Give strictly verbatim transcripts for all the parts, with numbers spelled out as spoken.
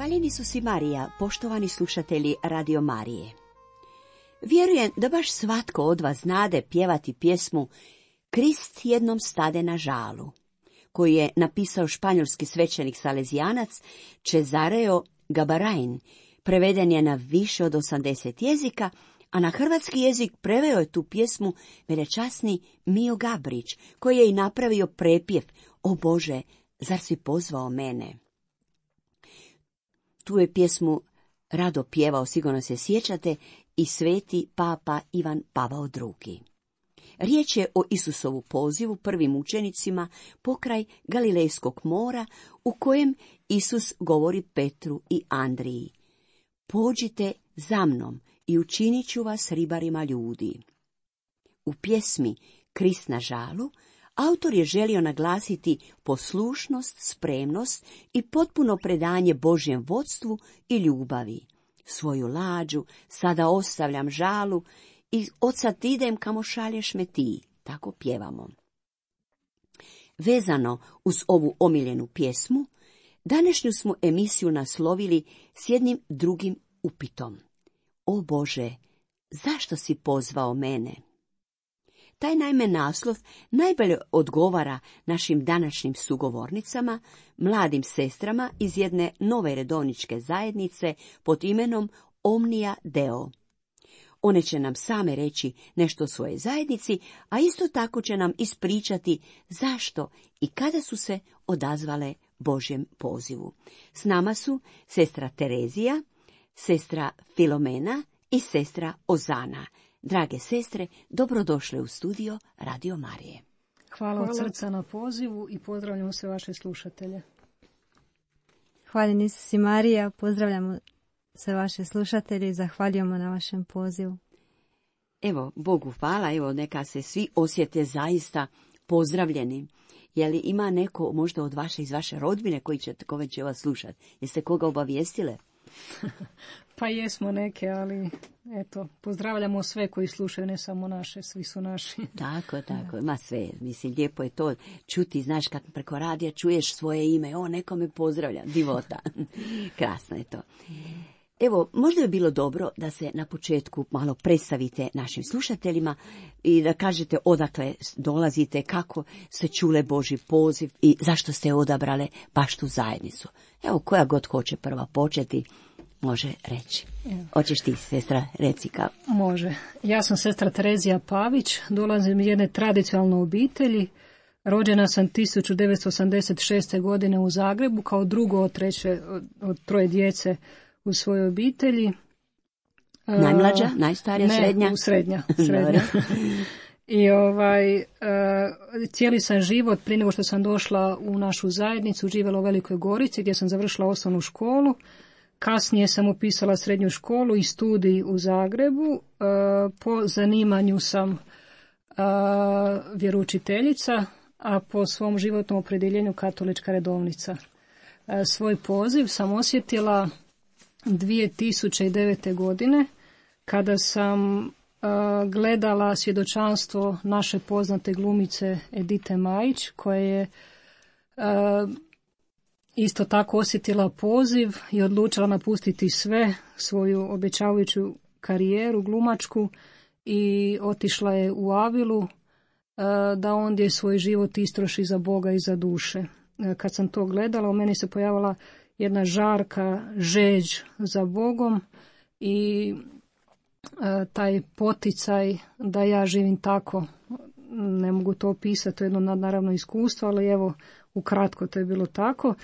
Hvaljeni su si Marija, poštovani slušatelji Radio Marije. Vjerujem da baš svatko od vas znade pjevati pjesmu Krist jednom stade na žalu, koju je napisao španjolski svećenik salezijanac Cesareo Gabarain. Preveden je na više od osamdeset jezika, a na hrvatski jezik preveo je tu pjesmu velečasni Mijo Gabrić, koji je i napravio prepjev O Bože, zar si pozvao mene? Tu je pjesmu rado pjevao, sigurno se sjećate, i sveti papa Ivan Pavao drugi. Riječ je o Isusovu pozivu prvim učenicima pokraj Galilejskog mora, u kojem Isus govori Petru i Andriji: Pođite za mnom i učinit ću vas ribarima ljudi. U pjesmi Krist na žalu autor je želio naglasiti poslušnost, spremnost i potpuno predanje Božjem vodstvu i ljubavi. Svoju lađu sada ostavljam žalu i odsad idem kamo šalješ me ti, tako pjevamo. Vezano uz ovu omiljenu pjesmu, današnju smo emisiju naslovili s jednim drugim upitom. O Bože, zašto si pozvao mene? Taj naime naslov najbolje odgovara našim današnjim sugovornicama, mladim sestrama iz jedne nove redovničke zajednice pod imenom Omnia Deo. One će nam same reći nešto o svojoj zajednici, a isto tako će nam ispričati zašto i kada su se odazvale Božjem pozivu. S nama su sestra Terezija, sestra Filomena i sestra Ozana. Drage sestre, dobrodošle u studio Radio Marije. Hvala od srca na pozivu i pozdravljamo sve vaše slušatelje. Hvaljeni su si Marija, pozdravljamo sve vaše slušatelje i zahvaljujemo na vašem pozivu. Evo, Bogu hvala, evo neka se svi osjete zaista pozdravljeni. Je li ima neko možda od vaše, iz vaše rodbine koji će kome će vas slušati? Jeste koga obavijestile? Pa jesmo neke, ali eto, pozdravljamo sve koji slušaju, ne samo naše, svi su naši. Tako, tako, ma sve, mislim, lijepo je to čuti, znaš, kad preko radija čuješ svoje ime, o, neko me pozdravlja, divota. Krasno je to. Evo, možda je bilo dobro da se na početku malo predstavite našim slušateljima i da kažete odakle dolazite, kako se čule Božji poziv i zašto ste odabrale baš tu zajednicu. Evo, koja god hoće prva početi, može reći. Hoćeš ti, sestra, reci kako? Može. Ja sam sestra Terezija Pavić, dolazim iz jedne tradicionalne obitelji. Rođena sam tisuću devetsto osamdeset šeste. godine u Zagrebu, kao drugo od, treće, od, od troje djece u svojoj obitelji. Najmlađa, najstarija, ne, srednja? Ne, srednja. srednja. I ovaj, uh, cijeli sam život, prije nego što sam došla u našu zajednicu, živjela u Velikoj Gorici, gdje sam završila osnovnu školu. Kasnije sam upisala srednju školu i studij u Zagrebu. Uh, po zanimanju sam uh, vjeroučiteljica, a po svom životnom opredjeljenju katolička redovnica. Uh, svoj poziv sam osjetila dvije tisuće devete. godine, kada sam uh, gledala svjedočanstvo naše poznate glumice Edite Majić, koja je uh, isto tako osjetila poziv i odlučila napustiti sve, svoju obećavajuću karijeru glumačku, i otišla je u Avilu uh, da ondje svoj život istroši za Boga i za duše. Uh, kad sam to gledala, u meni se pojavila jedna žarka žeđ za Bogom i e, taj poticaj da ja živim tako. Ne mogu to opisati, to je jedno naravno iskustvo, ali evo, ukratko to je bilo tako.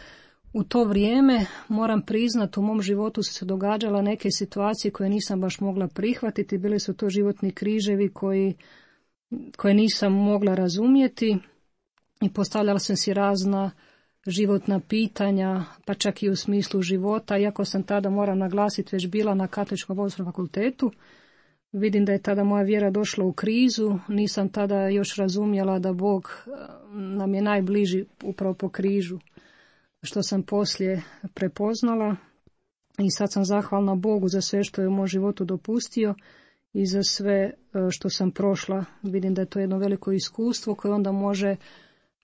U to vrijeme, moram priznati, u mom životu su se događala neke situacije koje nisam baš mogla prihvatiti. Bili su to životni križevi koji, koje nisam mogla razumjeti i postavljala sam si razna životna pitanja, pa čak i u smislu života, iako sam tada, moram naglasiti, već bila na Katoličkom bogoslovnom fakultetu. Vidim da je tada moja vjera došla u krizu, nisam tada još razumjela da Bog nam je najbliži upravo po križu, što sam poslije prepoznala, i sad sam zahvalna Bogu za sve što je u mom životu dopustio i za sve što sam prošla. Vidim da je to jedno veliko iskustvo koje onda može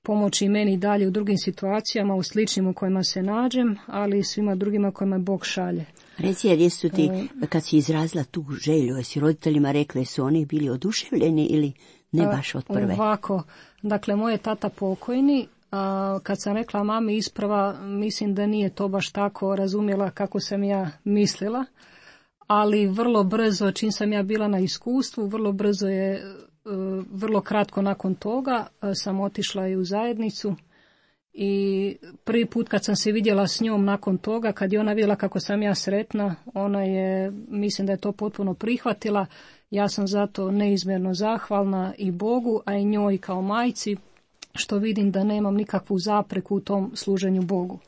pomoći meni i dalje u drugim situacijama, u sličnim u kojima se nađem, ali i svima drugima kojima Bog šalje. Reci, jer jesu ti, kad si izrazila tu želju, jesi roditeljima rekli, su oni bili oduševljeni ili ne baš od prve? Ovako, dakle, moj je tata pokojni, a kad sam rekla mami isprva, mislim da nije to baš tako razumjela kako sam ja mislila, ali vrlo brzo, čim sam ja bila na iskustvu, vrlo brzo je, vrlo kratko nakon toga, sam otišla i u zajednicu. I prvi put kad sam se vidjela s njom nakon toga, kad je ona vidjela kako sam ja sretna, ona je, mislim da je to potpuno prihvatila. Ja sam zato neizmjerno zahvalna i Bogu, a i njoj kao majci, što vidim da nemam nikakvu zapreku u tom služenju Bogu.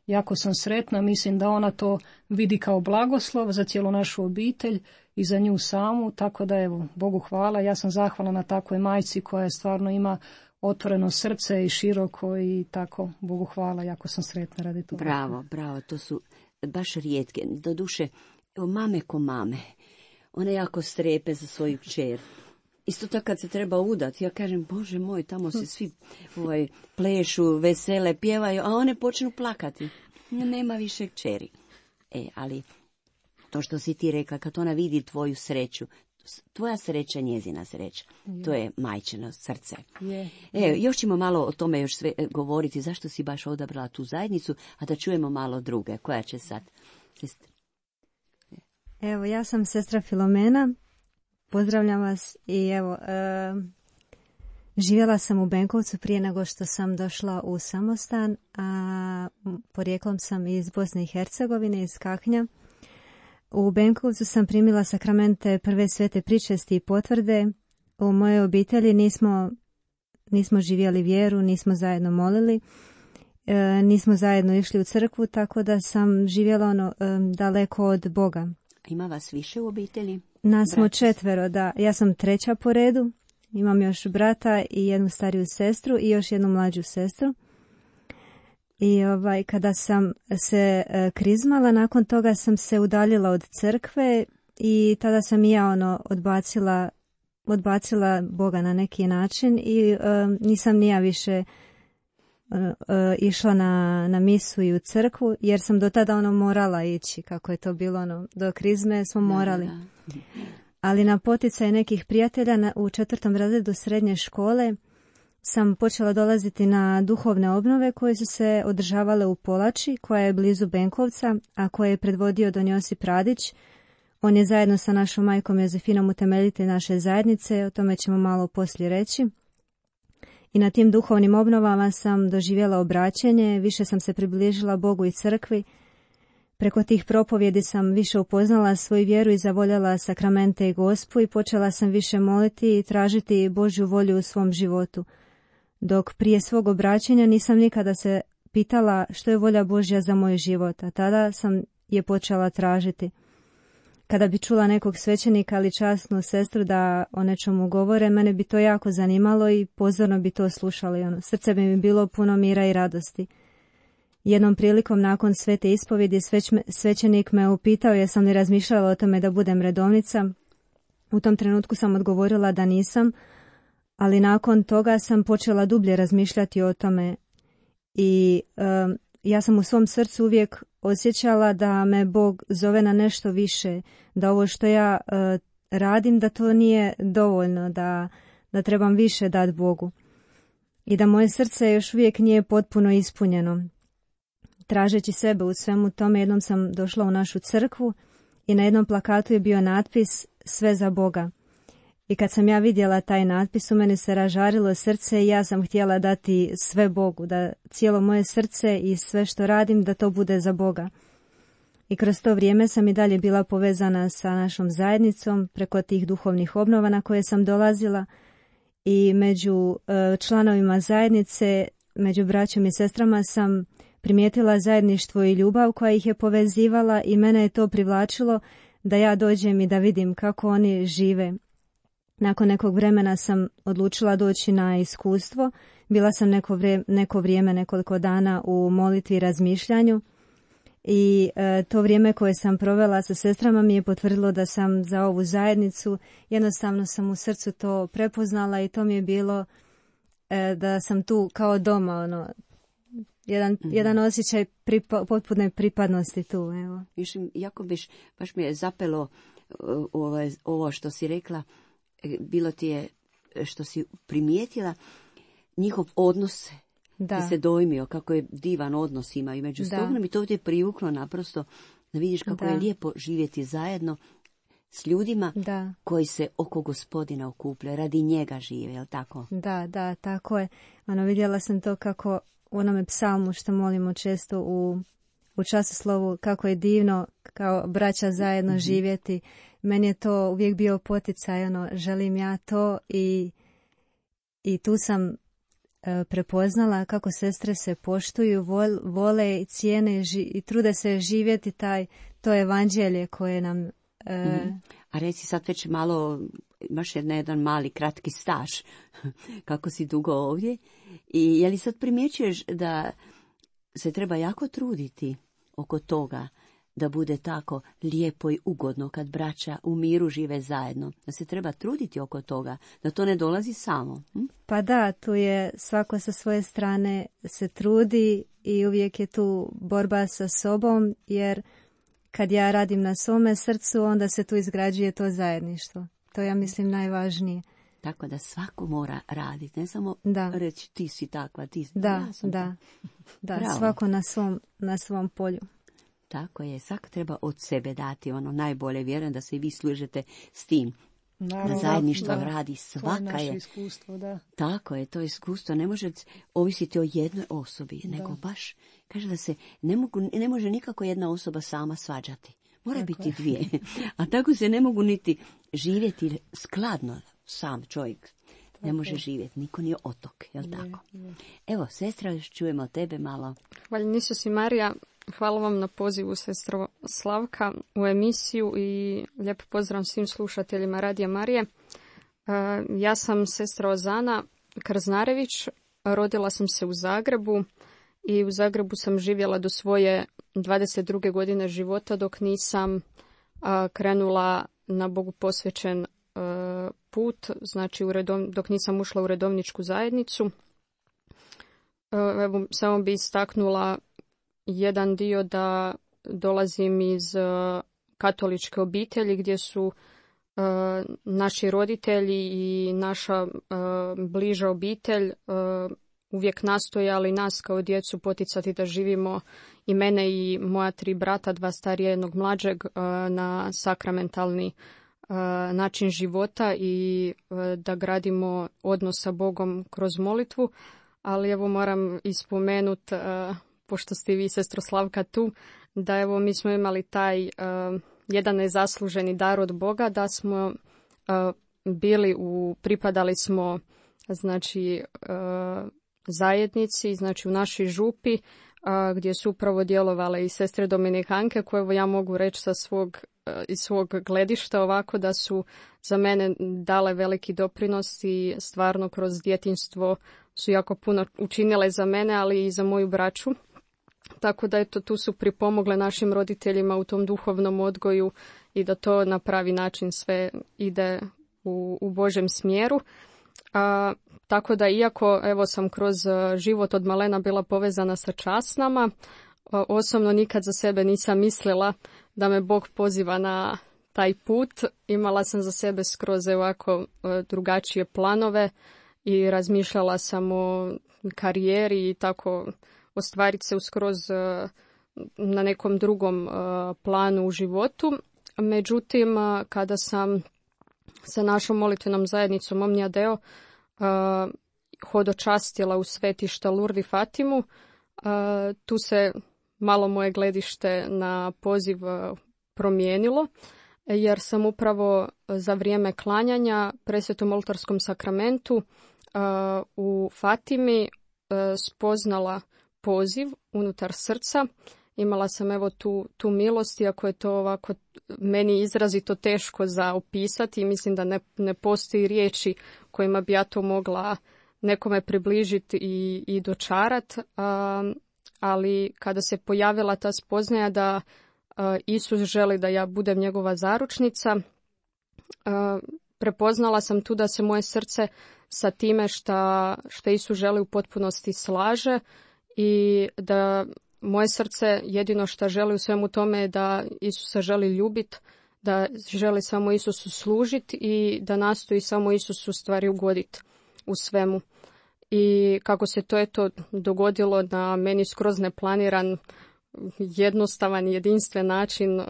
Jako sam sretna, mislim da ona to vidi kao blagoslov za cijelu našu obitelj i za nju samu, tako da evo, Bogu hvala. Ja sam zahvalna na takvoj majci koja stvarno ima otvoreno srce i široko i tako, Bogu hvala, jako sam sretna radi toga. Bravo, bravo, to su baš rijetke. Doduše, evo mame ko mame, one jako strepe za svoju kćer. Isto tako kad se treba udati, ja kažem, Bože moj, tamo se svi ovaj, plešu, vesele, pjevaju, a one počnu plakati. Nema više kćeri. E, ali to što si ti rekla, kad ona vidi tvoju sreću, tvoja sreća, njezina sreća. Je. To je majčino srce. Je. E, još ćemo malo o tome još sve govoriti, zašto si baš odabrala tu zajednicu, a da čujemo malo druge. Koja će sad? Evo, ja sam sestra Filomena, pozdravljam vas i evo, e, živjela sam u Benkovcu prije nego što sam došla u samostan, a porijeklom sam iz Bosne i Hercegovine, iz Kaknja. U Benkovcu sam primila sakramente prve svete pričesti i potvrde. U mojoj obitelji nismo, nismo živjeli vjeru, nismo zajedno molili, e, nismo zajedno išli u crkvu, tako da sam živjela ono, e, daleko od Boga. Ima vas više u obitelji? Nas smo četvero, da. Ja sam treća po redu. Imam još brata i jednu stariju sestru i još jednu mlađu sestru. I ovaj, kada sam se e, krizmala, nakon toga sam se udaljila od crkve i tada sam i ja ono odbacila, odbacila Boga na neki način i e, nisam ni ja više e, e, išla na, na misu i u crkvu, jer sam do tada ono morala ići, kako je to bilo ono, do krizme smo morali. Da, da. Ali na poticaj nekih prijatelja na, u četvrtom razredu srednje škole sam počela dolaziti na duhovne obnove koje su se održavale u Polači, koja je blizu Benkovca, a koje je predvodio don Josip Radić. On je zajedno sa našom majkom Jozefinom utemeljitelj naše zajednice, o tome ćemo malo poslije reći. I na tim duhovnim obnovama sam doživjela obraćenje, više sam se približila Bogu i crkvi. Preko tih propovjedi sam više upoznala svoju vjeru i zavoljela sakramente i Gospu i počela sam više moliti i tražiti Božju volju u svom životu. Dok prije svog obraćanja nisam nikada se pitala što je volja Božja za moj život, a tada sam je počela tražiti. Kada bi čula nekog svećenika ili časnu sestru da o nečemu govore, mene bi to jako zanimalo i pozorno bi to slušali. Ono, srce bi mi bilo puno mira i radosti. Jednom prilikom nakon svete ispovjedi sveć, svećenik me upitao jesam li razmišljala o tome da budem redovnica. U tom trenutku sam odgovorila da nisam, ali nakon toga sam počela dublje razmišljati o tome i um, ja sam u svom srcu uvijek osjećala da me Bog zove na nešto više, da ovo što ja uh, radim da to nije dovoljno, da, da trebam više dati Bogu i da moje srce još uvijek nije potpuno ispunjeno. Tražeći sebe u svemu tome, jednom sam došla u našu crkvu i na jednom plakatu je bio natpis sve za Boga. I kad sam ja vidjela taj natpis, u meni se ražarilo srce i ja sam htjela dati sve Bogu, da cijelo moje srce i sve što radim, da to bude za Boga. I kroz to vrijeme sam i dalje bila povezana sa našom zajednicom preko tih duhovnih obnova na koje sam dolazila i među članovima zajednice, među braćom i sestrama sam primijetila zajedništvo i ljubav koja ih je povezivala i mene je to privlačilo da ja dođem i da vidim kako oni žive. Nakon nekog vremena sam odlučila doći na iskustvo. Bila sam neko vrijeme, neko vrijeme nekoliko dana u molitvi i razmišljanju i e, to vrijeme koje sam provela sa sestrama mi je potvrdilo da sam za ovu zajednicu. Jednostavno sam u srcu to prepoznala i to mi je bilo e, da sam tu kao doma, ono, jedan, mm-hmm. jedan osjećaj pripa, potpune pripadnosti tu, evo. Mislim, jako biš, baš mi je zapelo ovo, ovo što si rekla, bilo ti je što si primijetila njihov odnos, da se dojmio kako je divan odnos imaju među stogom i to ti je privuklo naprosto da vidiš kako da. je lijepo živjeti zajedno s ljudima da. koji se oko Gospodina okupljaju, radi njega žive, jel tako? Da, da, tako je. Ono, vidjela sam to kako u onome psalmu što molimo često u, u časoslovu, kako je divno kao braća zajedno mm-hmm. živjeti. Meni je to uvijek bio poticaj, ono, želim ja to i, i tu sam e, prepoznala kako sestre se poštuju, vol, vole i cijene ži, i trude se živjeti taj, to evanđelje koje nam... E, mm-hmm. A reci sad već malo, imaš jedan, jedan mali kratki staž, kako si dugo ovdje i je li sad primjećuješ da se treba jako truditi oko toga da bude tako lijepo i ugodno kad braća u miru žive zajedno, da se treba truditi oko toga, da to ne dolazi samo. Hm? Pa da, tu je svako sa svoje strane se trudi i uvijek je tu borba sa sobom, jer kad ja radim na svome srcu, onda se tu izgrađuje to zajedništvo. To ja mislim najvažnije. Tako da svako mora raditi, ne samo da. reći ti si takva, ti si. Da, ja sam da, da, svako na svom, na svom polju. Tako je, svako treba od sebe dati ono najbolje, vjerujem da se i vi služite s tim. Naravno, da zajedništvo da, radi svaka je. To je naše iskustvo, da. Tako je, to je iskustvo. Ne može ovisiti o jednoj osobi, da. nego baš, kaže da se ne, mogu, ne može nikako jedna osoba sama svađati. Mora tako biti je. dvije. A tako se ne mogu niti živjeti skladno sam čovjek. Tako. Ne može živjeti, niko nije otok, jel je, tako? Je. Evo, sestra, još čujemo tebe malo. Hvala Isus i Marija. Hvala vam na pozivu, sestro Slavka, u emisiju i lijepo pozdrav svim slušateljima Radija Marije. Ja sam sestra Ozana Krznarević, rodila sam se u Zagrebu i u Zagrebu sam živjela do svoje dvadeset druge godine života dok nisam krenula na Bogu posvećen put, znači u redov, dok nisam ušla u redovničku zajednicu. Evo, samo bi istaknula jedan dio da dolazim iz uh, katoličke obitelji gdje su uh, naši roditelji i naša uh, bliža obitelj uh, uvijek nastojali nas kao djecu poticati da živimo i mene i moja tri brata, dva starija i jednog mlađeg, uh, na sakramentalni uh, način života i uh, da gradimo odnos sa Bogom kroz molitvu, ali evo moram ispomenuti uh, pošto ste vi, sestro Slavka, tu, da evo mi smo imali taj uh, jedan nezasluženi dar od Boga, da smo uh, bili u, pripadali smo znači uh, zajednici, znači u našoj župi, uh, gdje su upravo djelovale i sestre Dominikanke, koje evo ja mogu reći sa svog, uh, iz svog gledišta ovako da su za mene dale veliki doprinos i stvarno kroz djetinjstvo su jako puno učinile za mene, ali i za moju braću. Tako da eto, tu su pripomogle našim roditeljima u tom duhovnom odgoju i da to na pravi način sve ide u, u Božjem smjeru. A, tako da iako evo sam kroz život od malena bila povezana sa časnama, a, osobno nikad za sebe nisam mislila da me Bog poziva na taj put. Imala sam za sebe skroz ovako drugačije planove i razmišljala sam o karijeri i tako ostvariti se uskroz na nekom drugom planu u životu. Međutim, kada sam sa našom molitvenom zajednicom Omnia Deo hodočastila u svetišta Lurdi Fatimu, tu se malo moje gledište na poziv promijenilo, jer sam upravo za vrijeme klanjanja presvetom oltarskom sakramentu u Fatimi spoznala poziv unutar srca. Imala sam evo tu, tu milost, iako je to ovako meni izrazito teško za opisati. Mislim da ne, ne postoji riječi kojima bi ja to mogla nekome približiti i, i dočarat. Um, ali kada se pojavila ta spoznaja da uh, Isus želi da ja budem njegova zaručnica, uh, prepoznala sam tu da se moje srce sa time šta, šta Isus želi u potpunosti slaže i da moje srce jedino što želi u svemu tome je da Isusa želi ljubiti, da želi samo Isusu služiti i da nastoji samo Isusu stvari ugoditi u svemu. I kako se to eto dogodilo na meni skroz neplaniran, jednostavan, jedinstven način,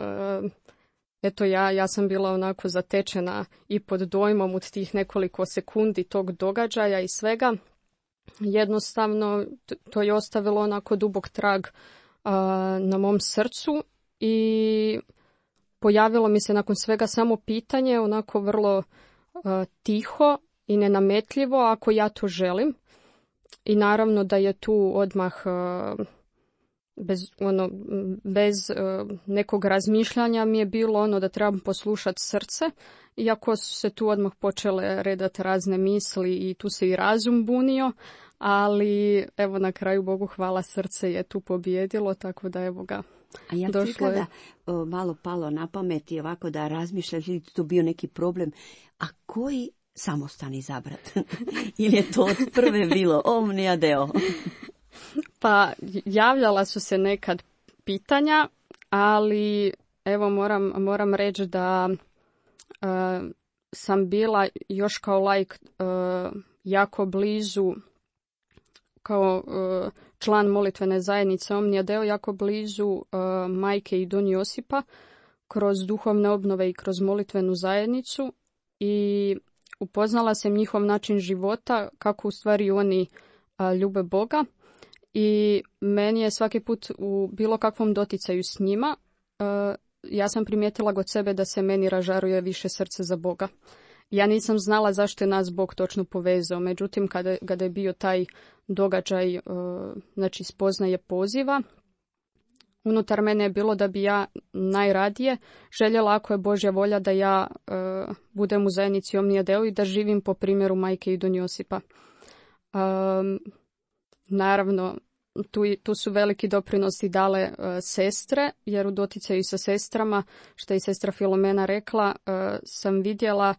eto ja, ja sam bila onako zatečena i pod dojmom od tih nekoliko sekundi tog događaja i svega. Jednostavno to je ostavilo onako dubok trag uh, na mom srcu i pojavilo mi se nakon svega samo pitanje, onako vrlo uh, tiho i nenametljivo, ako ja to želim. I naravno da je tu odmah uh, bez, ono, bez uh, nekog razmišljanja mi je bilo ono da trebam poslušati srce, iako su se tu odmah počele redati razne misli i tu se i razum bunio, ali evo na kraju Bogu hvala, srce je tu pobijedilo, tako da evo ga. A ja ti kada o, malo palo na pamet i ovako da razmišljaš ili to bio neki problem, a koji samostan izabrat? Ili je to od prve bilo omnia deo? Pa javljala su se nekad pitanja, ali evo moram, moram reći da uh, sam bila još kao laik uh, jako blizu, kao uh, član molitvene zajednice Omnia Deo, jako blizu uh, majke i don Josipa kroz duhovne obnove i kroz molitvenu zajednicu i upoznala sam njihov način života, kako u stvari oni uh, ljube Boga. I meni je svaki put u bilo kakvom doticaju s njima, uh, ja sam primijetila kod sebe da se meni ražaruje više srce za Boga. Ja nisam znala zašto je nas Bog točno povezao, međutim kada, kada je bio taj događaj, uh, znači spoznaje poziva, unutar mene je bilo da bi ja najradije željela, ako je Božja volja, da ja uh, budem u zajednici Omnia Deo i da živim po primjeru majke i don Josipa. Um, naravno, tu, tu su veliki doprinosti dale uh, sestre, jer u doticaju sa sestrama, što je i sestra Filomena rekla, uh, sam vidjela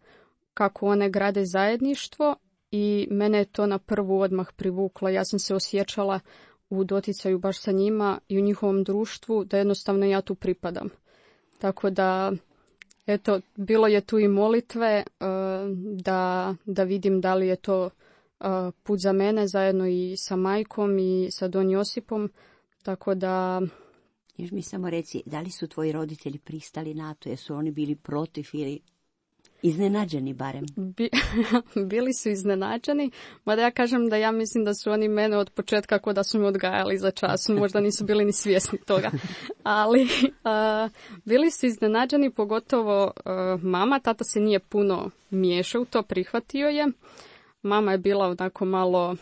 kako one grade zajedništvo i mene je to na prvu odmah privuklo. Ja sam se osjećala u doticaju baš sa njima i u njihovom društvu da jednostavno ja tu pripadam. Tako da, eto, bilo je tu i molitve uh, da, da vidim da li je to uh, put za mene zajedno i sa majkom i sa don Josipom. Tako da... Još mi samo reci, da li su tvoji roditelji pristali na to? Jesu oni bili protiv ili... iznenađeni barem? Bi, bili su iznenađeni, mada ja kažem da ja mislim da su oni mene od početka kao da su me odgajali za čas, možda nisu bili ni svjesni toga. Ali uh, bili su iznenađeni, pogotovo uh, mama, tata se nije puno miješao u to, prihvatio je. Mama je bila onako malo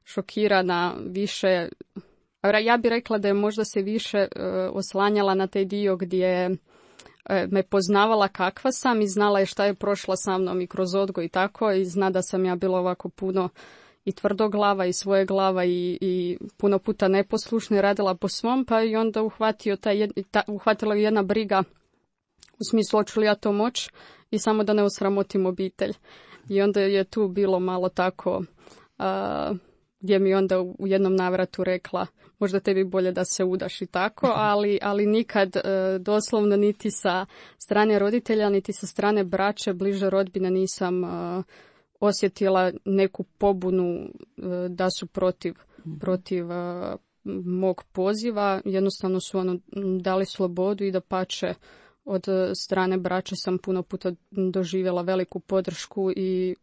šokirana, više, ja bih rekla da je možda se više uh, oslanjala na taj dio gdje me poznavala kakva sam i znala je šta je prošla sa mnom i kroz odgoj i tako, i zna da sam ja bila ovako puno i tvrdoglava i svoje glava i, i puno puta neposlušna i radila po svom, pa i onda uhvatio taj, ta, uhvatila je jedna briga u smislu hoću li ja to moć i samo da ne osramotim obitelj. I onda je tu bilo malo tako uh, gdje mi onda u jednom navratu rekla možda tebi bolje da se udaš i tako, ali, ali nikad e, doslovno niti sa strane roditelja, niti sa strane braće, bliže rodbine nisam e, osjetila neku pobunu e, da su protiv, mm-hmm. protiv e, mog poziva. Jednostavno su ono dali slobodu i da pače od strane braće sam puno puta doživjela veliku podršku i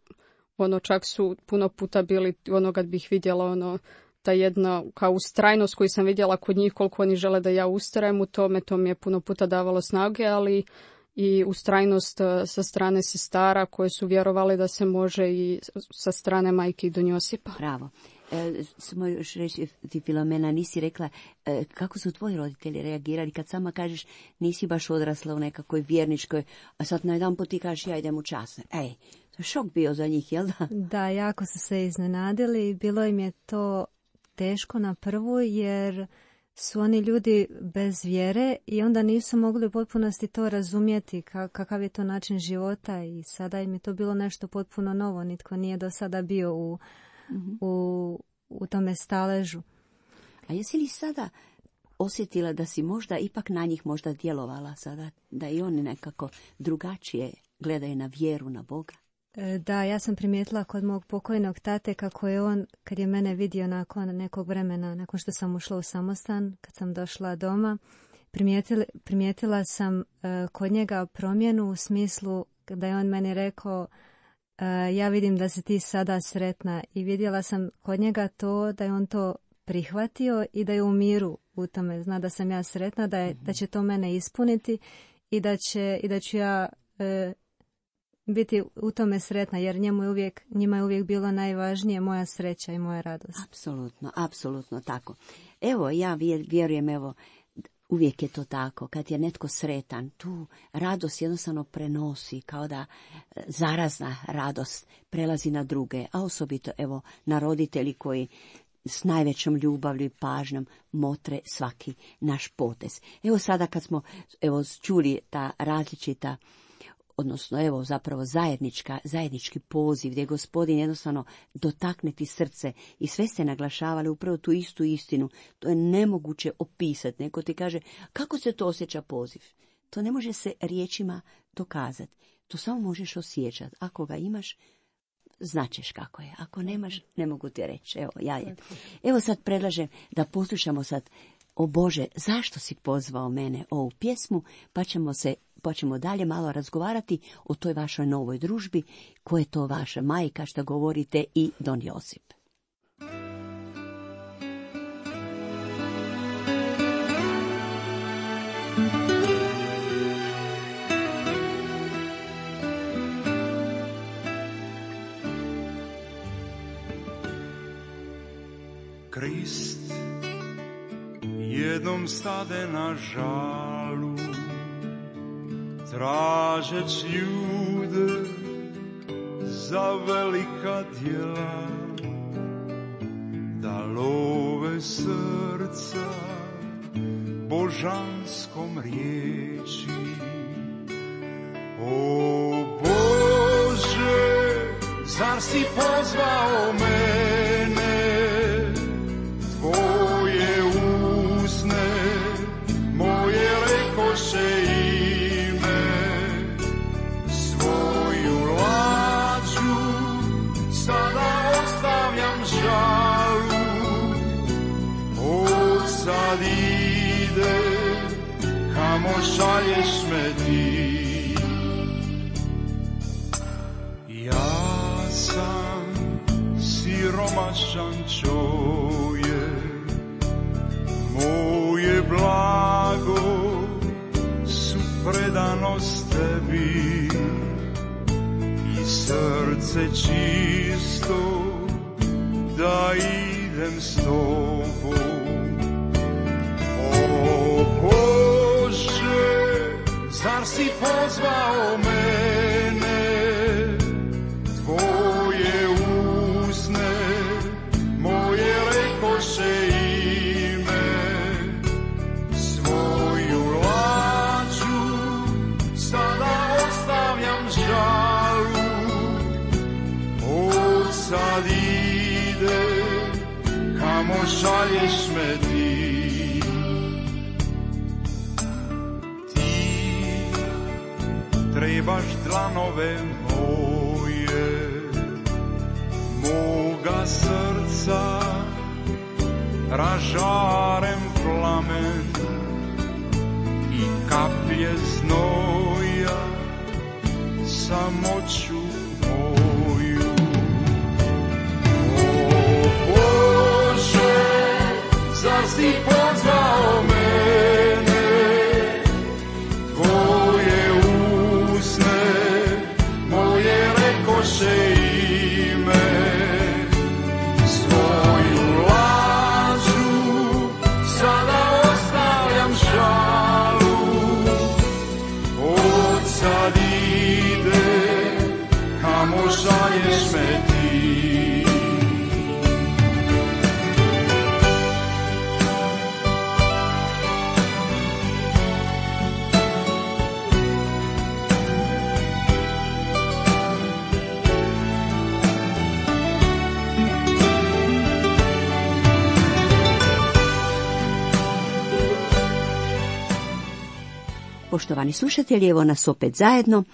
ono čak su puno puta bili, ono kad bih vidjela ono ta jedna kao ustrajnost koju sam vidjela kod njih, koliko oni žele da ja ustrajem u tome, to mi je puno puta davalo snage, ali i ustrajnost sa strane sestara koje su vjerovali da se može i sa strane majke i don Josipa. Bravo. E, samo još reći, ti Filomena, nisi rekla e, kako su tvoji roditelji reagirali kad sama kažeš nisi baš odrasla u nekakvoj vjerničkoj, a sad na jedan put ti kažeš ja idem u časne. Ej, to je šok bio za njih, jel da? Da, jako su se iznenadili. Bilo im je to teško na prvu jer su oni ljudi bez vjere i onda nisu mogli u potpunosti to razumjeti kakav je to način života i sada im je to bilo nešto potpuno novo. Nitko nije do sada bio u, mm-hmm. u, u tome staležu. A jesi li sada osjetila da si možda ipak na njih možda djelovala sada, da i oni nekako drugačije gledaju na vjeru, na Boga? Da, ja sam primijetila kod mog pokojnog tate kako je on, kad je mene vidio nakon nekog vremena, nakon što sam ušla u samostan, kad sam došla doma, primijetila, primijetila sam uh, kod njega promjenu u smislu da je on meni rekao uh, ja vidim da si ti sada sretna i vidjela sam kod njega to da je on to prihvatio i da je u miru u tome. Zna da sam ja sretna, da, je, da će to mene ispuniti i da, će, i da ću ja uh, biti u tome sretna, jer njemu je uvijek, njima je uvijek bilo najvažnije moja sreća i moja radost. Apsolutno, apsolutno tako. Evo, ja vjerujem, evo, uvijek je to tako. Kad je netko sretan, tu radost jednostavno prenosi, kao da zarazna radost prelazi na druge, a osobito, evo, na roditelji koji s najvećom ljubavlju i pažnjom motre svaki naš potez. Evo sada kad smo evo, čuli ta različita, odnosno evo zapravo zajednička, zajednički poziv gdje je Gospodin jednostavno dotakne ti srce i sve ste naglašavali upravo tu istu istinu. To je nemoguće opisati. Neko ti kaže kako se to osjeća poziv. To ne može se riječima dokazati. To samo možeš osjećati. Ako ga imaš, značeš kako je. Ako nemaš, ne mogu ti reći. Evo, ja je. Evo sad predlažem da poslušamo sad o Bože, zašto si pozvao mene ovu pjesmu, pa ćemo se pa ćemo dalje malo razgovarati o toj vašoj novoj družbi, ko je to vaša majka, što govorite, i Don Josip. Krist jednom stade na žalu, tražeć ljude za velika djela, da love srca božanskom riječi. O Bože, zar si pozvao mene, tvoje usne moje rekoše ime, svoju lađu sada ostavljam žalu, od sad ide kamo šalješ me ti. Ja sam siromašan čovjek, moje blago su predanost tebi i srce čisto da idem s tobom. O Bože, zar si pozvao mene, tvoje usne moje rekoše ime, svoju lađu sada ostavljam žalu, od sad ide kamo šalješ me ti. Ti trebaš dlanove moje, moga srca ražarem plamen i kaplje znoja samoću moju. O Bože, zar si pozvao mene, tvoje usne moje rekoše ime, svoju lažu sada ostavljam žalu, od sad ide Poštovani slušatelji, evo nas opet zajedno.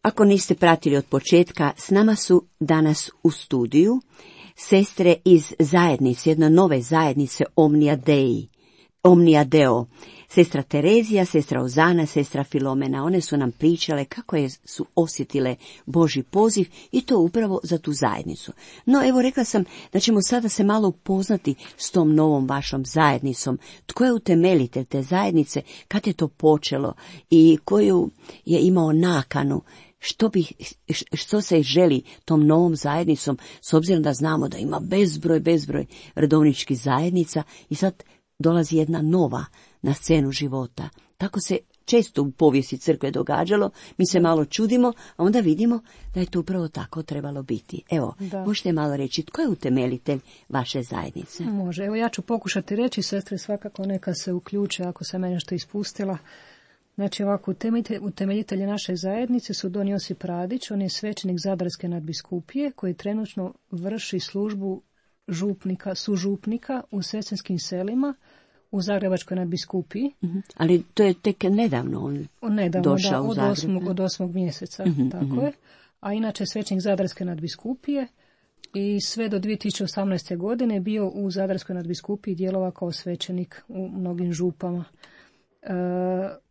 Ako niste pratili od početka, s nama su danas u studiju sestre iz zajednice, jedne nove zajednice Omnia Dei, Omnia Deo. Sestra Terezija, sestra Ozana, sestra Filomena, one su nam pričale kako je, su osjetile Božji poziv i to upravo za tu zajednicu. No evo, rekla sam da ćemo sada se malo upoznati s tom novom vašom zajednicom. Tko je utemeljitelj te zajednice, kad je to počelo i koju je imao nakanu, što, bi, što se želi tom novom zajednicom, s obzirom da znamo da ima bezbroj, bezbroj redovničkih zajednica i sad dolazi jedna nova na scenu života. Tako se često u povijesti crkve događalo, mi se malo čudimo, a onda vidimo da je to upravo tako trebalo biti. Evo, da. Možete malo reći, tko je utemeljitelj vaše zajednice? Može, evo ja ću pokušati reći, sestre svakako neka se uključe ako sam mene nešto ispustila. Znači ovako, utemeljitelji naše zajednice su don Josip Radić, on je svećenik Zadarske nadbiskupije koji trenutno vrši službu župnika, sužupnika u sestinskim selima u Zagrebačkoj nadbiskupiji. Uh-huh. Ali to je tek nedavno on nedavno, došao da, u Zagreb. Osmog, od osmog mjeseca, uh-huh, tako uh-huh. je. A inače svećenik Zadarske nadbiskupije i sve do dvije tisuće osamnaeste. godine bio u Zadarskoj nadbiskupiji, djelovao kao svećenik u mnogim župama. Uh,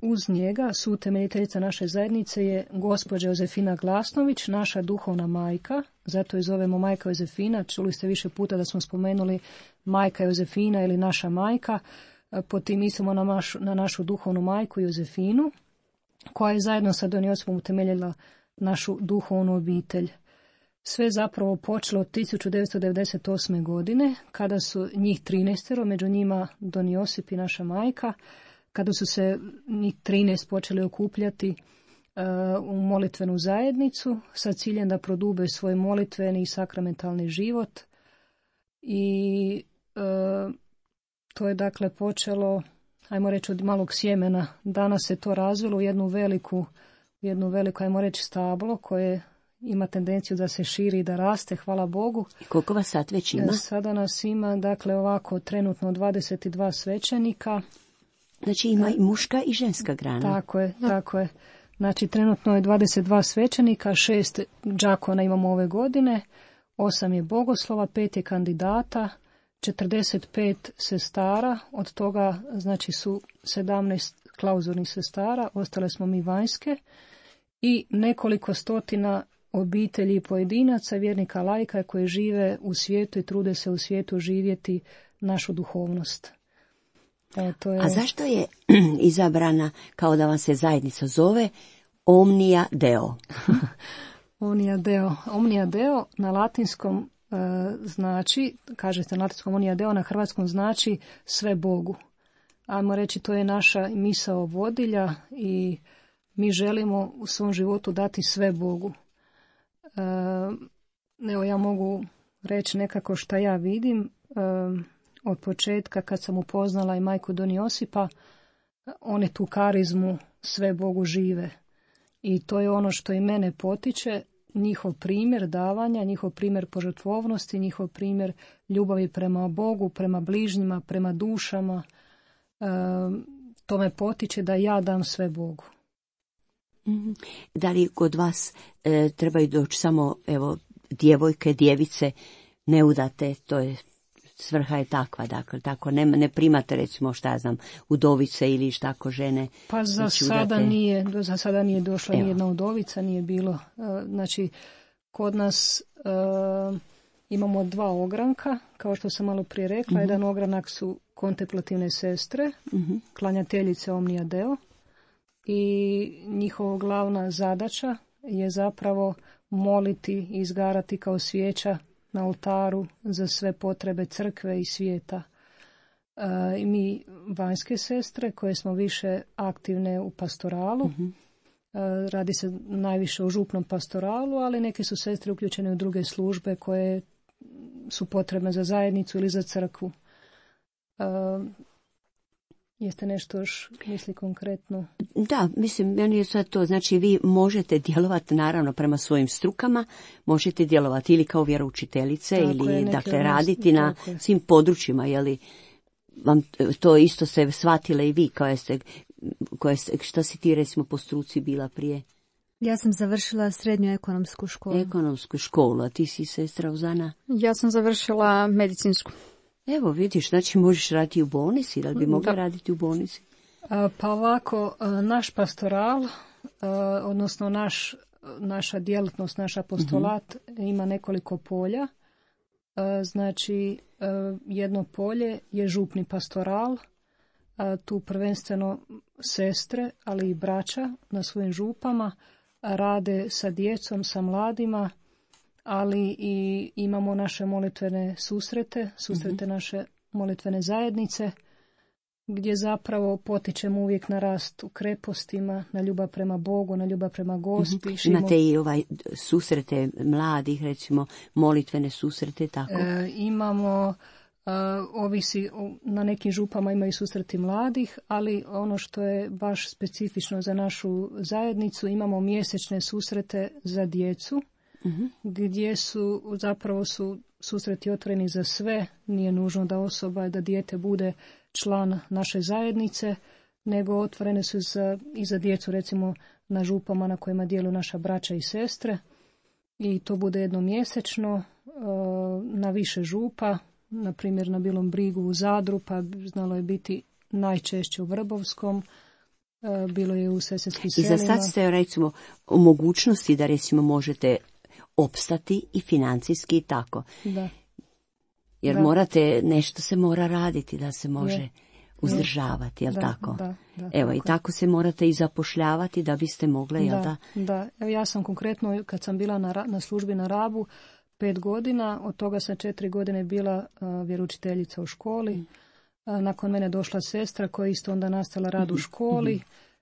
uz njega su utemeljiteljica naše zajednice je gospođa Jozefina Glasnović, naša duhovna majka, zato je zovemo majka Jozefina. Čuli ste više puta da smo spomenuli majka Jozefina ili naša majka, uh, pod tim mislimo na, mašu, na našu duhovnu majku Jozefinu, koja je zajedno sa don Josipom utemeljila našu duhovnu obitelj. Sve zapravo počelo od tisuću devetsto devedeset osme. godine, kada su njih trinaestero, među njima don Josip i naša majka, kada su se njih trinaest počeli okupljati uh, u molitvenu zajednicu sa ciljem da prodube svoj molitveni i sakramentalni život. I uh, to je dakle počelo, ajmo reći, od malog sjemena. Danas se to razvilo u jednu veliku, jednu veliku, ajmo reći, stablo koje ima tendenciju da se širi i da raste, hvala Bogu. I koliko vas sad već ima? Sada nas ima, dakle, ovako trenutno dvadeset dva svećenika. Znači ima i muška i ženska grana. Tako je, da. tako je. Znači trenutno je dvadeset dva svećenika, šest đakona imamo ove godine, osam je bogoslova, pet je kandidata, četrdeset pet sestara, od toga znači su sedamnaest klauzurnih sestara, ostale smo mi vanjske i nekoliko stotina obitelji i pojedinaca, vjernika laika koji žive u svijetu i trude se u svijetu živjeti našu duhovnost. E, to je... A zašto je izabrana, kao da vam se zajednica zove, Omnia Deo? Omnia Deo. Omnia Deo na latinskom e, znači, kažete na latinskom Omnia Deo, na hrvatskom znači sve Bogu. Ajmo reći, to je naša misao vodilja i mi želimo u svom životu dati sve Bogu. E, evo, ja mogu reći nekako šta ja vidim. E, Od početka kad sam upoznala i majku don Josipa, one tu karizmu sve Bogu žive. I to je ono što i mene potiče, njihov primjer davanja, njihov primjer požrtvovnosti, njihov primjer ljubavi prema Bogu, prema bližnjima, prema dušama. E, to me potiče da ja dam sve Bogu. Mm-hmm. Da li kod vas e, trebaju doći samo evo djevojke, djevice, neudate, to je svrha je takva, dakle, tako ne, ne primate recimo šta ja znam, udovice ili tako žene. Pa za sada nije, za sada nije došla ni jedna udovica, nije bilo. Znači, kod nas uh, imamo dva ogranka, kao što sam malo prije rekla. Uh-huh. Jedan ogranak su kontemplativne sestre, uh-huh. klanjateljice Omnia Deo i njihova glavna zadaća je zapravo moliti i izgarati kao svijeća na oltaru za sve potrebe crkve i svijeta. E, i mi vanjske sestre koje smo više aktivne u pastoralu, uh-huh. e, radi se najviše o župnom pastoralu, ali neke su sestre uključene u druge službe koje su potrebne za zajednicu ili za crkvu. E, Jeste nešto još misli konkretno? Da, mislim, meni je sad to, znači vi možete djelovati naravno prema svojim strukama, možete djelovati ili kao vjeroučiteljice tako ili je, dakle raditi na je. svim područjima, je li vam to isto ste shvatile i vi kao ste koje, šta si ti recimo po struci bila prije? Ja sam završila srednju ekonomsku školu. Ekonomsku školu, a ti si sestra Uzana? Ja sam završila medicinsku. Evo vidiš, znači možeš raditi u bolnici, da li bi mogla Da. raditi u bolnici? A, Pa ovako, a, naš pastoral, a, odnosno naš, naša djelatnost, naš apostolat ima nekoliko polja. A, Znači, a, jedno polje je župni pastoral, a, tu prvenstveno sestre, ali i braća na svojim župama rade sa djecom, sa mladima, ali i imamo naše molitvene susrete, susrete naše molitvene zajednice, gdje zapravo potičemo uvijek na rast u krepostima, na ljubav prema Bogu, na ljubav prema Gospi. širimo- Imate i ovaj susrete mladih, recimo molitvene susrete, tako? E, imamo, e, ovisi, o- na nekim župama imaju susreti mladih, ali ono što je baš specifično za našu zajednicu, imamo mjesečne susrete za djecu, gdje su, zapravo su susreti otvoreni za sve, nije nužno da osoba, da dijete bude član naše zajednice, nego otvorene su za, i za djecu, recimo na župama na kojima djeluju naša braća i sestre, i to bude jednom mjesečno, e, na više župa, na primjer na Bilom Brigu u Zadru, pa znalo je biti najčešće u Vrbovskom, e, bilo je u Sesvetskim I za selima. sad ste recimo u mogućnosti da recimo možete opstati i financijski i tako. Da. Jer Da. morate, nešto se mora raditi da se može Je. uzdržavati, jel Da, tako? da, da, Evo, i tako je. tako se morate i zapošljavati da biste mogle, jel da? Da, da. Evo, ja sam konkretno, kad sam bila na, Ra- na službi na Rabu, pet godina, od toga sam četiri godine bila a, vjeroučiteljica u školi. A, nakon mene došla sestra koja je isto onda nastavila rad u školi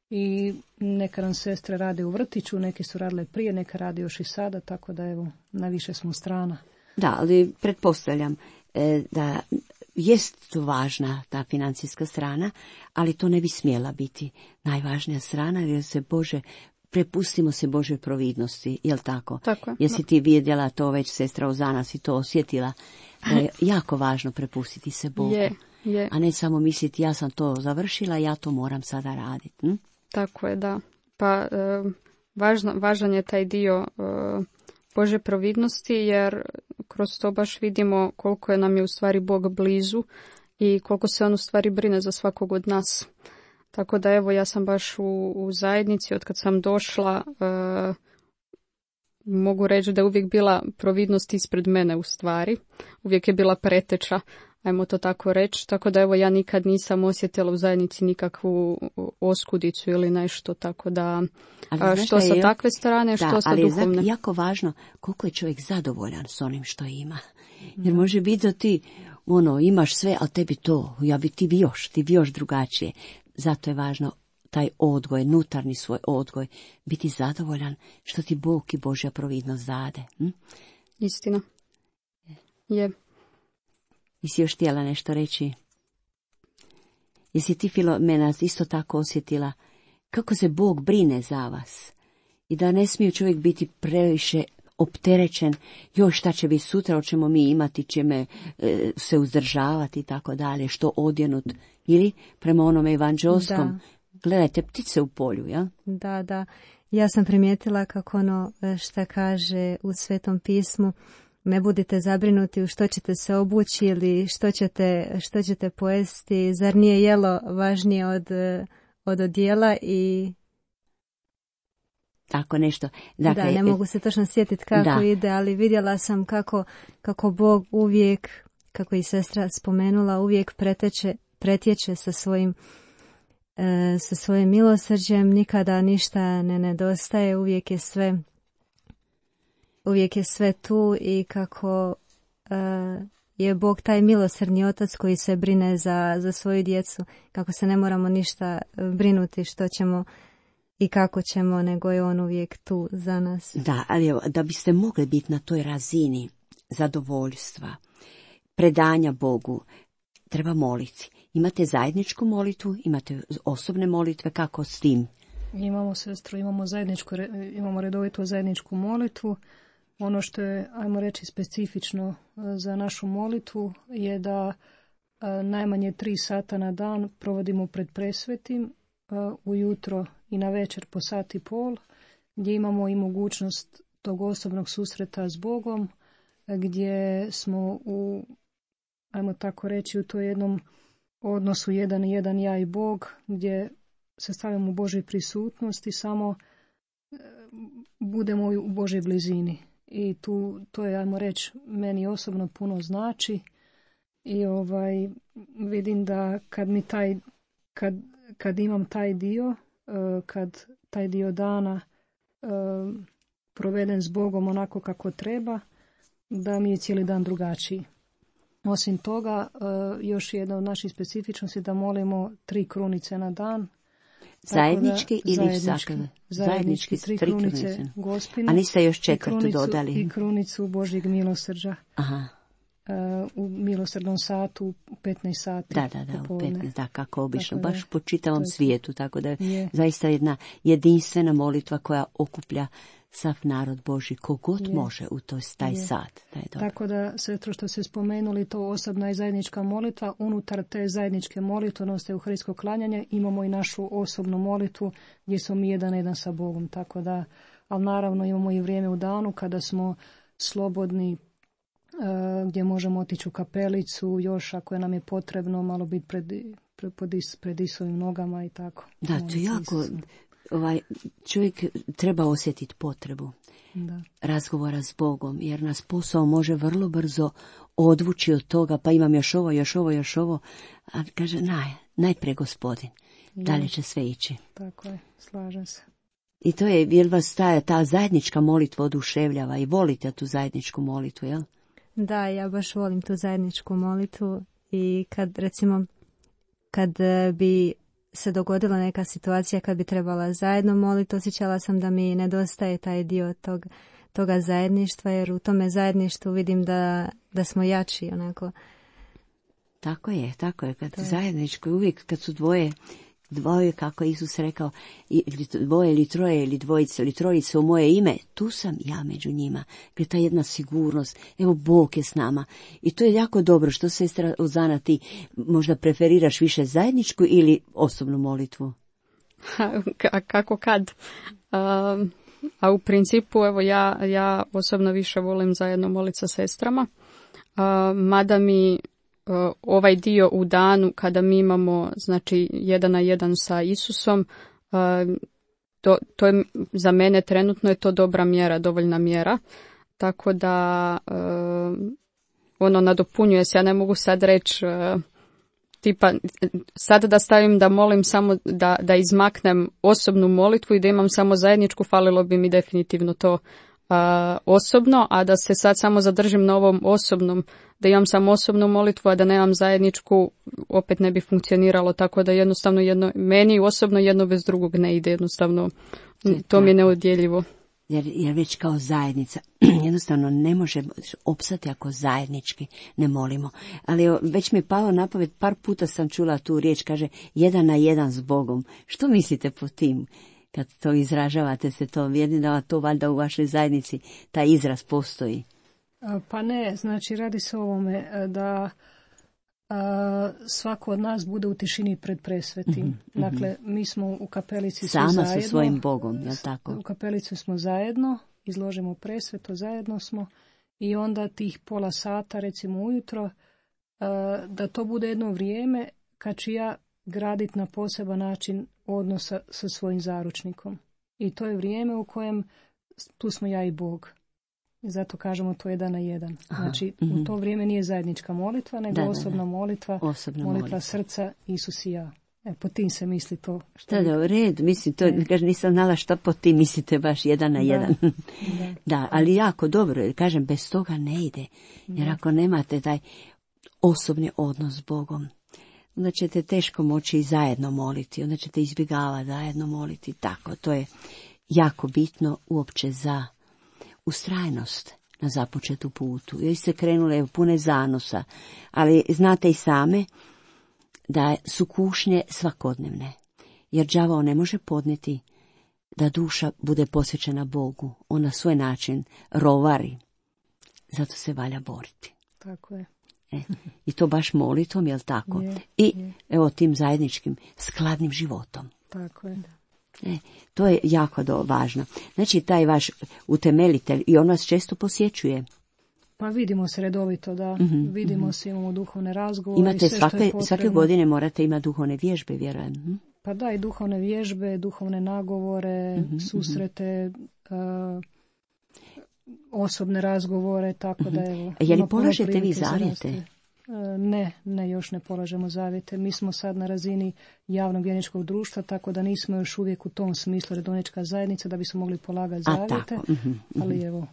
i neka nam sestre rade u vrtiću, neke su radile prije, neka rade još i sada, tako da evo, na više smo strana. Da, ali pretpostavljam e, da jest to važna ta financijska strana, ali to ne bi smjela biti najvažnija strana, jer se Bože, prepustimo se Božoj providnosti, jel tako? Tako je. Jesi ti vidjela to već, sestra Ozana, si to osjetila? Da je jako važno prepustiti se Bogu, Je, je. a ne samo misliti ja sam to završila, ja to moram sada raditi. Hm? Tako je, da. Pa e, važno, važan je taj dio e, Bože providnosti, jer kroz to baš vidimo koliko je nam je u stvari Bog blizu i koliko se on u stvari brine za svakog od nas. Tako da evo, ja sam baš u, u zajednici, od kad sam došla, e, mogu reći da je uvijek bila providnost ispred mene u stvari. Uvijek je bila preteča, ajmo to tako reći. Tako da evo, ja nikad nisam osjetila u zajednici nikakvu oskudicu ili nešto, tako da Ali a, znaš što šta sa je? takve strane, što Da, sa ali je duhovne. zak- jako važno koliko je čovjek zadovoljan s onim što ima. Jer može biti da ti ono, imaš sve, a tebi to, ja bi ti bi još, ti bi još drugačije. Zato je važno taj odgoj, nutarnji svoj odgoj, biti zadovoljan što ti Bog i Božja providnost dade. Hm? Istina. Je. Jesi još htjela nešto reći? Jesi ti, Filomena, isto tako osjetila kako se Bog brine za vas i da ne smije čovjek biti previše opterećen, još šta će biti sutra, hoćemo mi imati, ćeme e, se uzdržavati i tako dalje, što odjenut, ili prema onome evanđelskom, Da. gledajte ptice u polju, ja? Da, da. Ja sam primijetila kako ono e, šta kaže u Svetom pismu, ne budite zabrinuti u što ćete se obući ili što ćete, što ćete pojesti, zar nije jelo važnije od, e, od odjela i Tako nešto. Dakle, da, ne mogu se točno sjetiti kako da. ide, ali vidjela sam kako, kako Bog uvijek, kako i sestra spomenula, uvijek preteče, pretječe sa svojim e, sa svojim milosrđem, nikada ništa ne nedostaje, uvijek je sve uvijek je sve tu i kako e, je Bog taj milosrdni otac koji se brine za, za svoju djecu, kako se ne moramo ništa brinuti što ćemo i kako ćemo, nego je on uvijek tu za nas. Da, ali evo, da biste mogli biti na toj razini zadovoljstva, predanja Bogu, treba moliti. Imate zajedničku molitvu, imate osobne molitve, kako s tim? Imamo sestru, imamo zajedničku, re- imamo redovitu zajedničku molitvu. Ono što je, ajmo reći, specifično e, za našu molitvu je da e, najmanje tri sata na dan provodimo pred presvetim ujutro i na večer po sat i pol, gdje imamo i mogućnost tog osobnog susreta s Bogom, gdje smo u, ajmo tako reći, u to jednom odnosu jedan i jedan ja i Bog, gdje se stavljamo u Božoj prisutnosti, samo budemo u Božoj blizini. I tu, to je, ajmo reći, meni osobno puno znači. I ovaj, vidim da kad mi taj, kad, kad imam taj dio, kad taj dio dana proveden s Bogom onako kako treba, da mi je cijeli dan drugačiji. Osim toga, još jedna od naših specifičnosti da molimo tri krunice na dan. Zajednički da, ili zajednički, zajednički, zajednički tri, tri krunice, krunice Gospine. A niste još četvrtu i krunicu, dodali? I krunicu Božjeg milosrđa. Aha. Uh, u milosrdnom satu u petnaest sati. Da, da, da, u petnaest, da, kako obično, tako baš da, po čitavom je, svijetu, tako da je, je zaista jedna jedinstvena molitva koja okuplja sav narod Božji, kogod je. može u toj, taj je. sat. Da je tako da, sve što ste spomenuli, to osobna i zajednička molitva, unutar te zajedničke molitve, odnosno euharistsko klanjanje, imamo i našu osobnu molitvu gdje smo mi jedan jedan sa Bogom, tako da, ali naravno imamo i vrijeme u danu kada smo slobodni, gdje možemo otići u kapelicu, još ako je nam je potrebno malo biti pred, pred, pred Isovim nogama i tako. Da, to je jako, ovaj, čovjek treba osjetiti potrebu da. razgovora s Bogom, jer nas posao može vrlo brzo odvući od toga, pa imam još ovo, još ovo, još ovo, a kaže, naj, najprije Gospodin, je. dalje će sve ići. Tako je, slažem se. I to je, jel vas ta, ta zajednička molitva oduševljava i volite tu zajedničku molitvu, jel? Da, ja baš volim tu zajedničku molitvu i kad, recimo, kad bi se dogodila neka situacija kad bi trebala zajedno moliti, osjećala sam da mi nedostaje taj dio tog, toga zajedništva, jer u tome zajedništvu vidim da, da smo jači, onako. Tako je, tako je, kad zajedničko, uvijek kad su dvoje, dvoje, kako je Isus rekao, ili dvoje ili troje ili dvojice ili trojice u moje ime, tu sam ja među njima. Gdje ta jedna sigurnost, evo Bog je s nama. I to je jako dobro. Što, sestra Ozana, ti možda preferiraš više zajedničku ili osobnu molitvu? K- kako kad? A, a u principu, evo, ja, ja osobno više volim zajedno moliti sa sestrama. A, mada mi ovaj dio u danu kada mi imamo, znači, jedan na jedan sa Isusom, to, to je za mene trenutno je to dobra mjera, dovoljna mjera, tako da ono nadopunjuje se. Ja ne mogu sad reći tipa sad da stavim da molim samo da, da izmaknem osobnu molitvu i da imam samo zajedničku, falilo bi mi definitivno to Uh, osobno, a da se sad samo zadržim na ovom osobnom, da imam samo osobnu molitvu, a da nemam zajedničku, opet ne bi funkcioniralo, tako da jednostavno jedno, meni osobno jedno bez drugog ne ide, jednostavno to mi je neodjeljivo. Jer, jer već kao zajednica jednostavno ne može opstati ako zajednički ne molimo. Ali već mi je palo na pamet, par puta sam čula tu riječ, kaže jedan na jedan s Bogom. Što mislite po tim? Kad to izražavate se to, vidim da to valjda u vašoj zajednici taj izraz postoji. Pa ne, znači radi se o ovome da a, svako od nas bude u tišini pred presvetim. Mm-hmm. Dakle, mi smo u kapelici Sama zajedno. Sama sa svojim Bogom, je li tako? U kapelici smo zajedno, izložimo presveto, zajedno smo i onda tih pola sata, recimo ujutro, a, da to bude jedno vrijeme kad ću ja graditi na poseban način odnosa sa svojim zaručnikom. I to je vrijeme u kojem tu smo ja i Bog. I zato kažemo to jedan na jedan. Aha, znači, mm-hmm. u to vrijeme nije zajednička molitva, nego da, osobna da, da. molitva, osobna molitva, molitva srca, Isus i ja. E, po tim se misli to. Što da, da, u redu, mislim, to, kažem, nisam znala što po tim mislite baš jedan na da, jedan. da. da, ali jako dobro, jer kažem, bez toga ne ide. Jer da. ako nemate taj osobni odnos s Bogom, onda ćete teško moći i zajedno moliti, onda ćete izbjegavati zajedno moliti. Tako, to je jako bitno uopće za ustrajnost na započetu putu. Jer ste krenule pune zanosa, ali znate i same da su kušnje svakodnevne, jer đavao ne može podnijeti da duša bude posvećena Bogu. On na svoj način rovari, zato se valja boriti. Tako je. E, I to baš molitvom, jel tako? Je, I je. evo tim zajedničkim skladnim životom. Tako je. E, to je jako do, važno. Znači, taj vaš utemeljitelj, i on vas često posjećuje. Pa vidimo se redovito, da. Mm-hmm, vidimo mm-hmm. se, imamo duhovne razgovore. Imate i sve svake, što je potrebno. Svake godine morate imati duhovne vježbe, vjerujem. Hm? Pa da, i duhovne vježbe, duhovne nagovore, mm-hmm, susrete, uh, osobne razgovore, tako mm-hmm. da evo. Je li polažete vi zavjete? Ne, ne, još ne polažemo zavjete. Mi smo sad na razini javnog vjerničkog društva, tako da nismo još uvijek u tom smislu redovnička zajednica da bismo mogli polagati zavjete. A, mm-hmm, mm-hmm. Ali evo,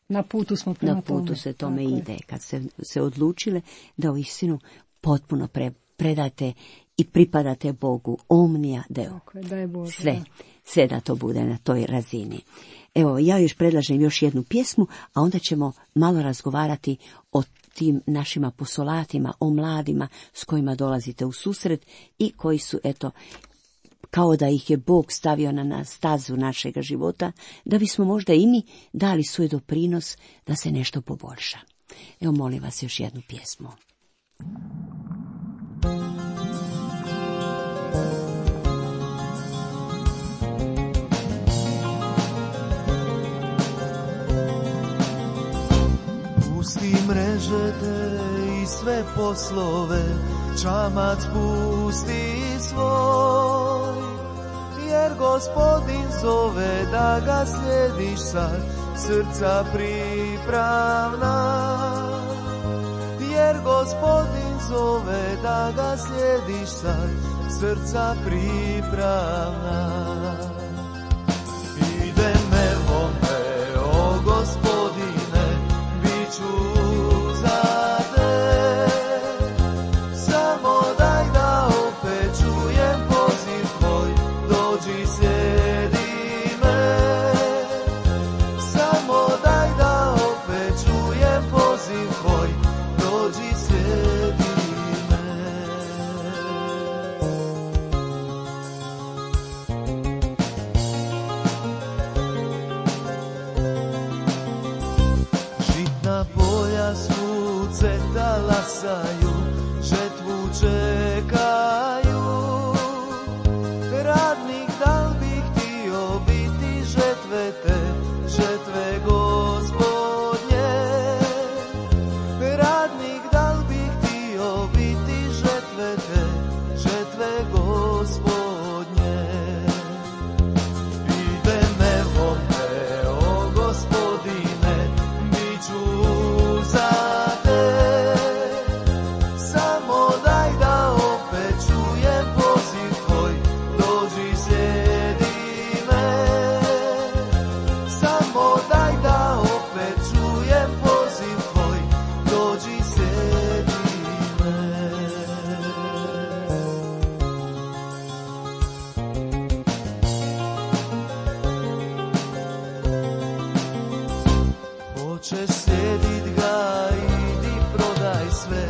na putu smo prema na putu tome. se tome tako ide. Je. Kad ste se odlučile da u istinu potpuno pre, predate i pripadate Bogu. Omnia Deo. Tako je, daj Bože. Sve, da. sve da to bude na toj razini. Evo, ja još predlažem još jednu pjesmu, a onda ćemo malo razgovarati o tim našim apostolatima, o mladima s kojima dolazite u susret i koji su, eto, kao da ih je Bog stavio na stazu našega života, da bismo možda i mi dali svoj doprinos da se nešto poboljša. Evo, molim vas još jednu pjesmu. Pusti mreže te i sve poslove, čamac pusti svoj, jer Gospodin zove da ga slijediš sad, srca pripravna. Jer Gospodin zove da ga slijediš sad, srca pripravna. Idem evo me, o Gospodine, bit ću za te. Samo daj da opet čujem poziv tvoj, dođi slijedi me. Samo daj da opet čujem poziv tvoj, dođi slijedi me. Žitna polja svuce talasaju, žetvu čekaju. Radnik da li bi htio biti žetve te, žetve Gospodnje. Radnik da li bi htio biti žetve te, žetve Gospodnje. Idem evo me, o Gospodine, bit ću za te. Samo daj da opet čujem poziv tvoj, dođi slijedi me. Samo daj da opet čujem poziv tvoj, dođi slijedi me. Hoćeš sjedit ga, idi prodaj sve,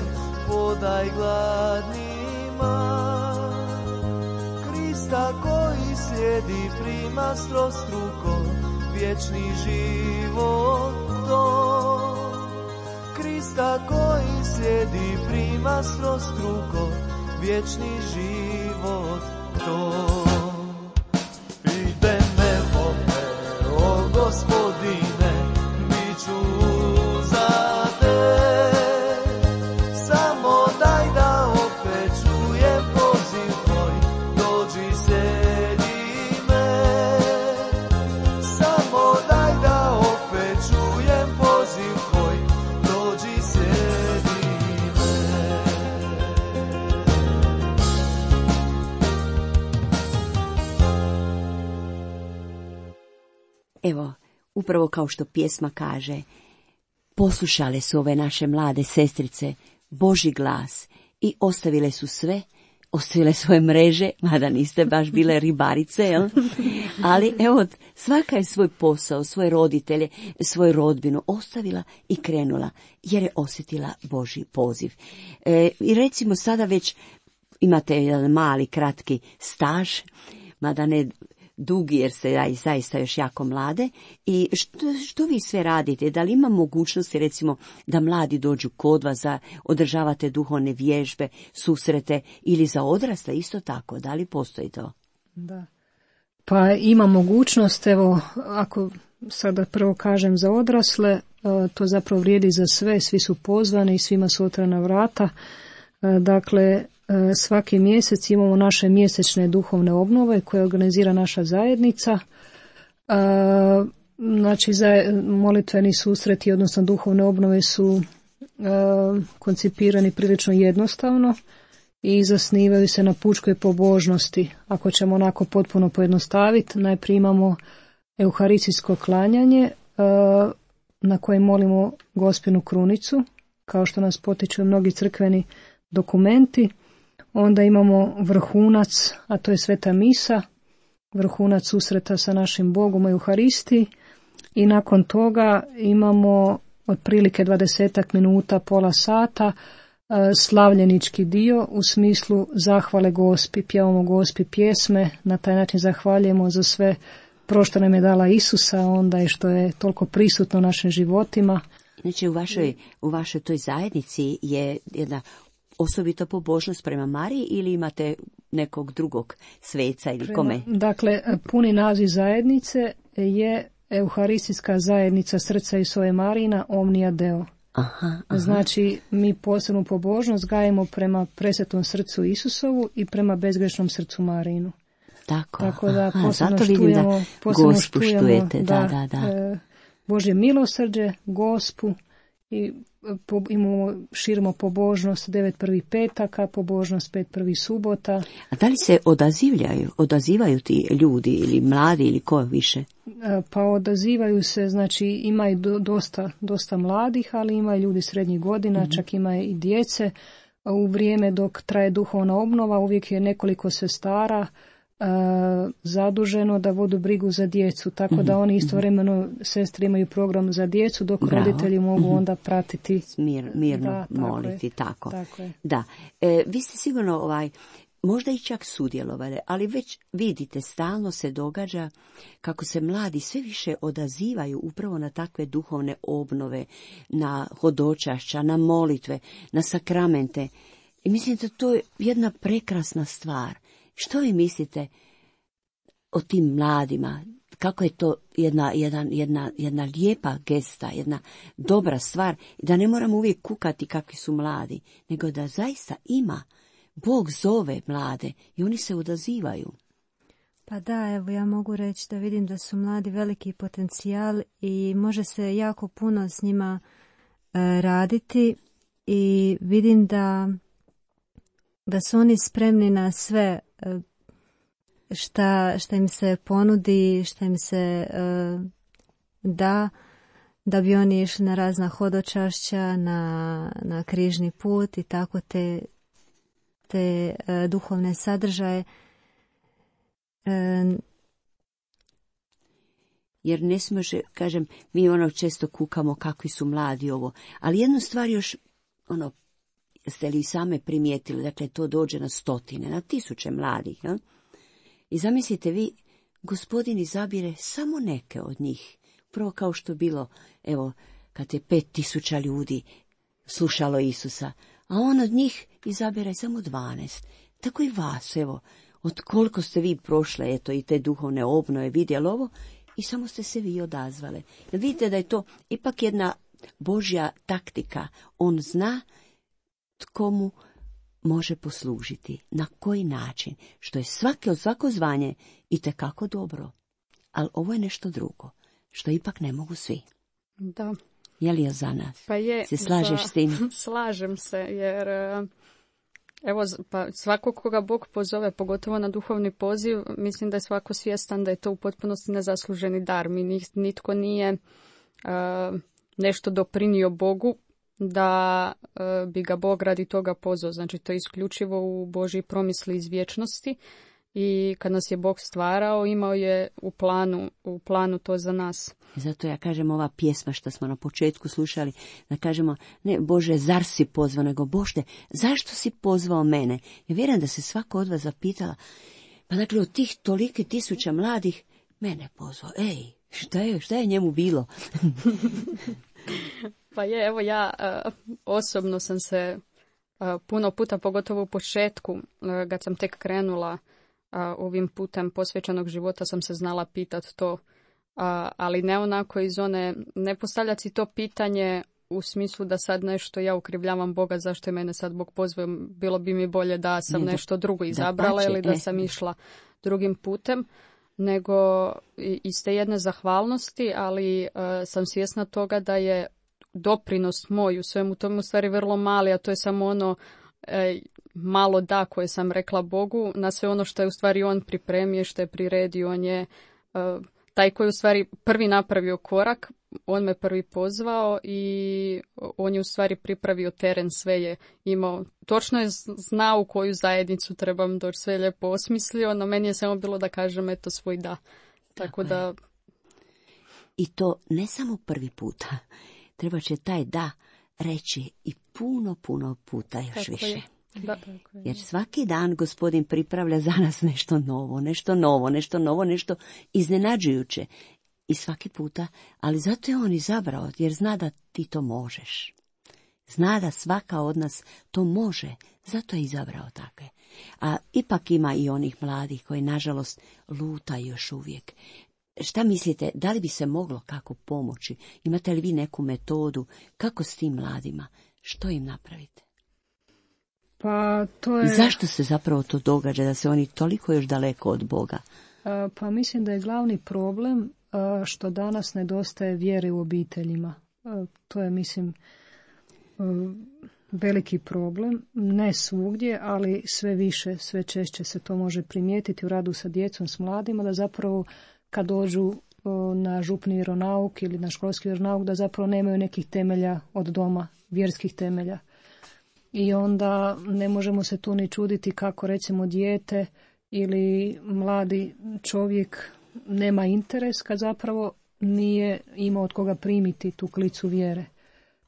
podaj gladnima. Krista koji slijedi prima strostruko, vječni život to. Krista koji slijedi prima strostruko, vječni život to. Idem evo me, o Gospodine, bit ću za te. Samo daj da opet čujem poziv tvoj, dođi slijedi me. Samo daj da opet čujem poziv tvoj, dođi slijedi me. Evo, upravo kao što pjesma kaže, poslušale su ove naše mlade sestrice Božji glas i ostavile su sve, ostavile svoje mreže, mada niste baš bile ribarice, jel? Ali evo, svaka je svoj posao, svoje roditelje, svoju rodbinu ostavila i krenula, jer je osjetila Božji poziv. E, I recimo sada već imate jedan mali, kratki staž, mada ne dugi jer ste zaista još jako mlade. I što, što vi sve radite? Da li ima mogućnosti recimo da mladi dođu kod vas, da održavate duhovne vježbe, susrete ili za odrasle isto tako? Da li postoji to? Da. Pa ima mogućnost, evo, ako sada prvo kažem za odrasle, to zapravo vrijedi za sve, svi su pozvani i svima su otvorena vrata. Dakle, svaki mjesec imamo naše mjesečne duhovne obnove koje organizira naša zajednica. Znači, molitveni susreti, odnosno duhovne obnove su koncipirani prilično jednostavno i zasnivaju se na pučkoj pobožnosti. Ako ćemo onako potpuno pojednostaviti, najprije imamo euharistijsko klanjanje na kojem molimo Gospinu krunicu, kao što nas potiču mnogi crkveni dokumenti. Onda imamo vrhunac, a to je sveta misa, vrhunac susreta sa našim Bogom u Euharistiji, i nakon toga imamo otprilike dvadesetak minuta, pola sata, slavljenički dio u smislu zahvale Gospi, pjevamo Gospi pjesme, na taj način zahvaljujemo za sve pro što nam je dala Isusa, onda i što je toliko prisutno u našim životima. Znači u vašoj, u vašoj toj zajednici je jedna osobita pobožnost prema Mariji ili imate nekog drugog sveca ili kome? Dakle, puni naziv zajednice je Euharistijska zajednica Srca Isove Marina Omnia Deo. Aha, aha. Znači, mi posebnu pobožnost gajimo prema presvetom srcu Isusovu i prema bezgrešnom srcu Marinu. Tako, Tako da aha, posebno zato vidim štujemo, da posebno Gospu štujemo, štujete, da, da, da, da. E, Božje milosrđe, Gospu, i po, imamo, širimo pobožnost devet prvih petaka, pobožnost pet prvih subota. A da li se odazivljaju, odazivaju ti ljudi ili mladi ili ko više? E, pa odazivaju se, znači ima i do, dosta, dosta mladih, ali ima i ljudi srednjih godina, mm-hmm. čak ima i djece. U vrijeme dok traje duhovna obnova uvijek je nekoliko sestara Uh, zaduženo da vodu brigu za djecu, tako mm-hmm. da oni istovremeno, sestre imaju program za djecu, dok Bravo. roditelji mogu mm-hmm. onda pratiti. Mir, mirno da, moliti, tako. tako je. Da. E, vi ste sigurno ovaj, možda i čak sudjelovali, ali već vidite, stalno se događa kako se mladi sve više odazivaju upravo na takve duhovne obnove, na hodočašća, na molitve, na sakramente. I mislim da to je jedna prekrasna stvar. Što vi mislite o tim mladima? Kako je to jedna, jedan, jedna, jedna lijepa gesta, jedna dobra stvar, da ne moramo uvijek kukati kakvi su mladi, nego da zaista ima. Bog zove mlade i oni se odazivaju. Pa da, evo ja mogu reći da vidim da su mladi veliki potencijal i može se jako puno s njima e, raditi i vidim da, da su oni spremni na sve šta, šta im se ponudi, šta im se uh, da, da bi oni išli na razna hodočašća, na, na križni put i tako te, te uh, duhovne sadržaje. Uh, Jer ne smije, kažem, mi ono često kukamo kakvi su mladi ovo, ali jednu stvar još, ono, ste li same primijetili, dakle to dođe na stotine, na tisuće mladih, ja? I zamislite vi, Gospodin izabire samo neke od njih, prvo kao što je bilo, evo, kad je pet tisuća ljudi slušalo Isusa, a on od njih izabire samo dvanaest. Tako i vas, evo, od koliko ste vi prošle, eto, i te duhovne obnove, vidjeli ovo, i samo ste se vi odazvale. Jer vidite da je to ipak jedna Božja taktika, on zna tko mu može poslužiti, na koji način, što je svake od svako zvanje itekako dobro. Ali ovo je nešto drugo, što ipak ne mogu svi. Da. Je li je za nas? Pa je. Se slažeš za... s tim? Slažem se, jer evo, pa svako koga Bog pozove, pogotovo na duhovni poziv, mislim da je svako svjestan da je to u potpunosti nezasluženi dar. Mi nitko nije uh, nešto doprinio Bogu da uh, bi ga Bog radi toga pozvao. Znači, to je isključivo u Božji promisli iz vječnosti i kad nas je Bog stvarao, imao je u planu, u planu to za nas. Zato ja kažem ova pjesma što smo na početku slušali, da kažemo, ne Bože, zar si pozvao, nego Bože, zašto si pozvao mene? Ja vjerujem da se svako od vas zapitala, pa dakle od tih tolike tisuća mladih, mene pozvao, ej, šta je, šta je njemu bilo? Pa je, evo ja uh, osobno sam se uh, puno puta, pogotovo u početku, uh, kad sam tek krenula a, ovim putem posvećenog života sam se znala pitat to, a, ali ne onako iz one, ne postavljati si to pitanje u smislu da sad nešto ja ukrivljavam Boga, zašto je mene sad Bog pozvao, bilo bi mi bolje da sam ne, nešto drugo izabrala ili da sam išla drugim putem, nego iz te jedne zahvalnosti, ali uh, sam svjesna toga da je doprinos moj u svemu tomu u stvari vrlo mali, a to je samo ono e, malo da koje sam rekla Bogu na sve ono što je u stvari on pripremio, što je priredio, on je uh, taj koji u stvari prvi napravio korak, on me prvi pozvao i on je u stvari pripravio teren, sve je imao. Točno je znao u koju zajednicu trebam doći, sve je lijepo osmislio, no meni je samo bilo da kažem eto svoj da. Tako, Tako da... I to ne samo prvi puta. Treba će taj da reći i puno, puno puta još Tako više. Je. Da. Jer svaki dan Gospodin pripravlja za nas nešto novo, nešto novo, nešto novo, nešto iznenađujuće. I svaki puta, ali zato je on izabrao, jer zna da ti to možeš. Zna da svaka od nas to može, zato je izabrao takve. A ipak ima i onih mladih koji, nažalost, lutaju još uvijek. Šta mislite, da li bi se moglo kako pomoći? Imate li vi neku metodu? Kako s tim mladima? Što im napravite? Pa to je... I zašto se zapravo to događa, da se oni toliko još daleko od Boga? Pa mislim da je glavni problem što danas nedostaje vjere u obiteljima. To je, mislim, veliki problem. Ne svugdje, ali sve više, sve češće se to može primijetiti u radu sa djecom, s mladima, da zapravo kad dođu na župni vjeronauk ili na školski vjeronauk, da zapravo nemaju nekih temelja od doma, vjerskih temelja. I onda ne možemo se tu ni čuditi kako, recimo, dijete ili mladi čovjek nema interes kad zapravo nije imao od koga primiti tu klicu vjere.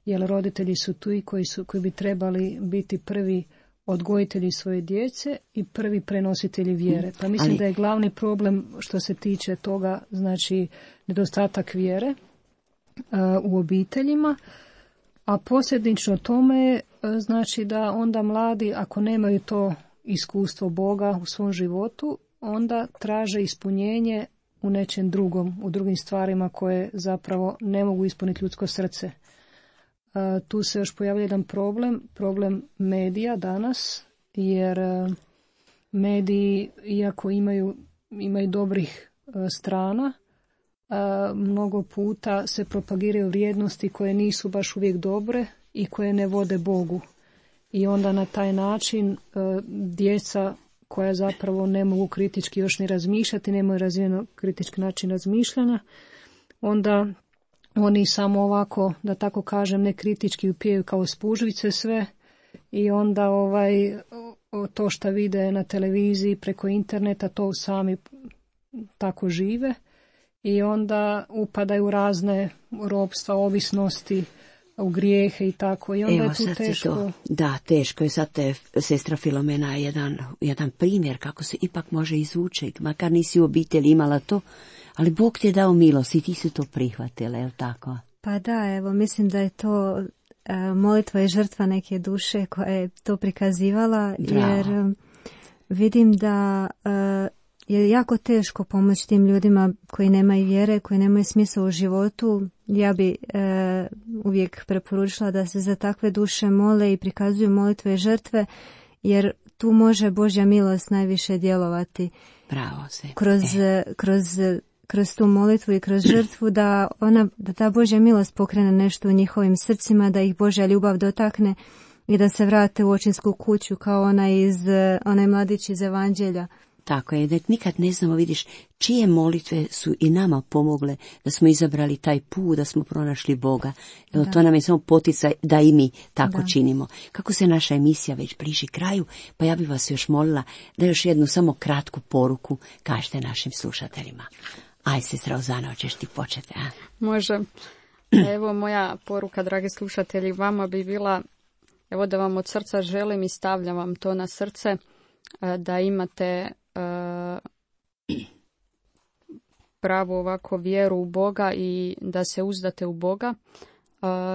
Jer roditelji su tu i koji, su, koji bi trebali biti prvi odgojitelji svoje djece i prvi prenositelji vjere. Pa mislim Ali... da je glavni problem što se tiče toga, znači nedostatak vjere uh, u obiteljima, a posljedično tome je znači da onda mladi, ako nemaju to iskustvo Boga u svom životu, onda traže ispunjenje u nečem drugom, u drugim stvarima koje zapravo ne mogu ispuniti ljudsko srce. A, tu se još pojavlja jedan problem, problem medija danas, jer a, mediji, iako imaju, imaju dobrih a, strana, a, mnogo puta se propagiraju vrijednosti koje nisu baš uvijek dobre i koje ne vode Bogu. I onda na taj način a, djeca koja zapravo ne mogu kritički još ni razmišljati, nemaju razvijeno kritički način razmišljanja, onda oni samo ovako, da tako kažem, ne kritički upijaju kao spužvice sve i onda ovaj to što vide na televiziji preko interneta, to sami tako žive i onda upadaju u razne ropstva, ovisnosti, u grijehe i tako. I onda Evo, je tu teško. To, da, teško je. Sad te sestra Filomena je jedan, jedan primjer kako se ipak može izvući. Makar nisi u obitelji imala to, ali Bog ti je dao milost i ti si to prihvatila, je li tako? Pa da, evo, mislim da je to uh, molitva i žrtva neke duše koja je to prikazivala, Bravo. jer um, vidim da uh, je jako teško pomoći tim ljudima koji nemaju vjere, koji nemaju smisla u životu. Ja bi e, uvijek preporučila da se za takve duše mole i prikazuju molitve i žrtve, jer tu može Božja milost najviše djelovati. Bravo se. Kroz, e. kroz, kroz tu molitvu i kroz žrtvu, da, ona, da ta Božja milost pokrene nešto u njihovim srcima, da ih Božja ljubav dotakne i da se vrate u očinsku kuću kao ona iz, onaj mladić iz Evanđelja. Tako je, da nikad ne znamo, vidiš, čije molitve su i nama pomogle da smo izabrali taj put, da smo pronašli Boga. Evo, to nam je samo poticaj da i mi tako da. činimo. Kako se naša emisija već bliži kraju, pa ja bih vas još molila da još jednu samo kratku poruku kažete našim slušateljima. Aj, sestra Ozana, hoćeš ti početi, a? Može. Evo, moja poruka, dragi slušatelji, vama bi bila, evo da vam od srca želim i stavljam vam to na srce, da imate pravu ovako vjeru u Boga i da se uzdate u Boga,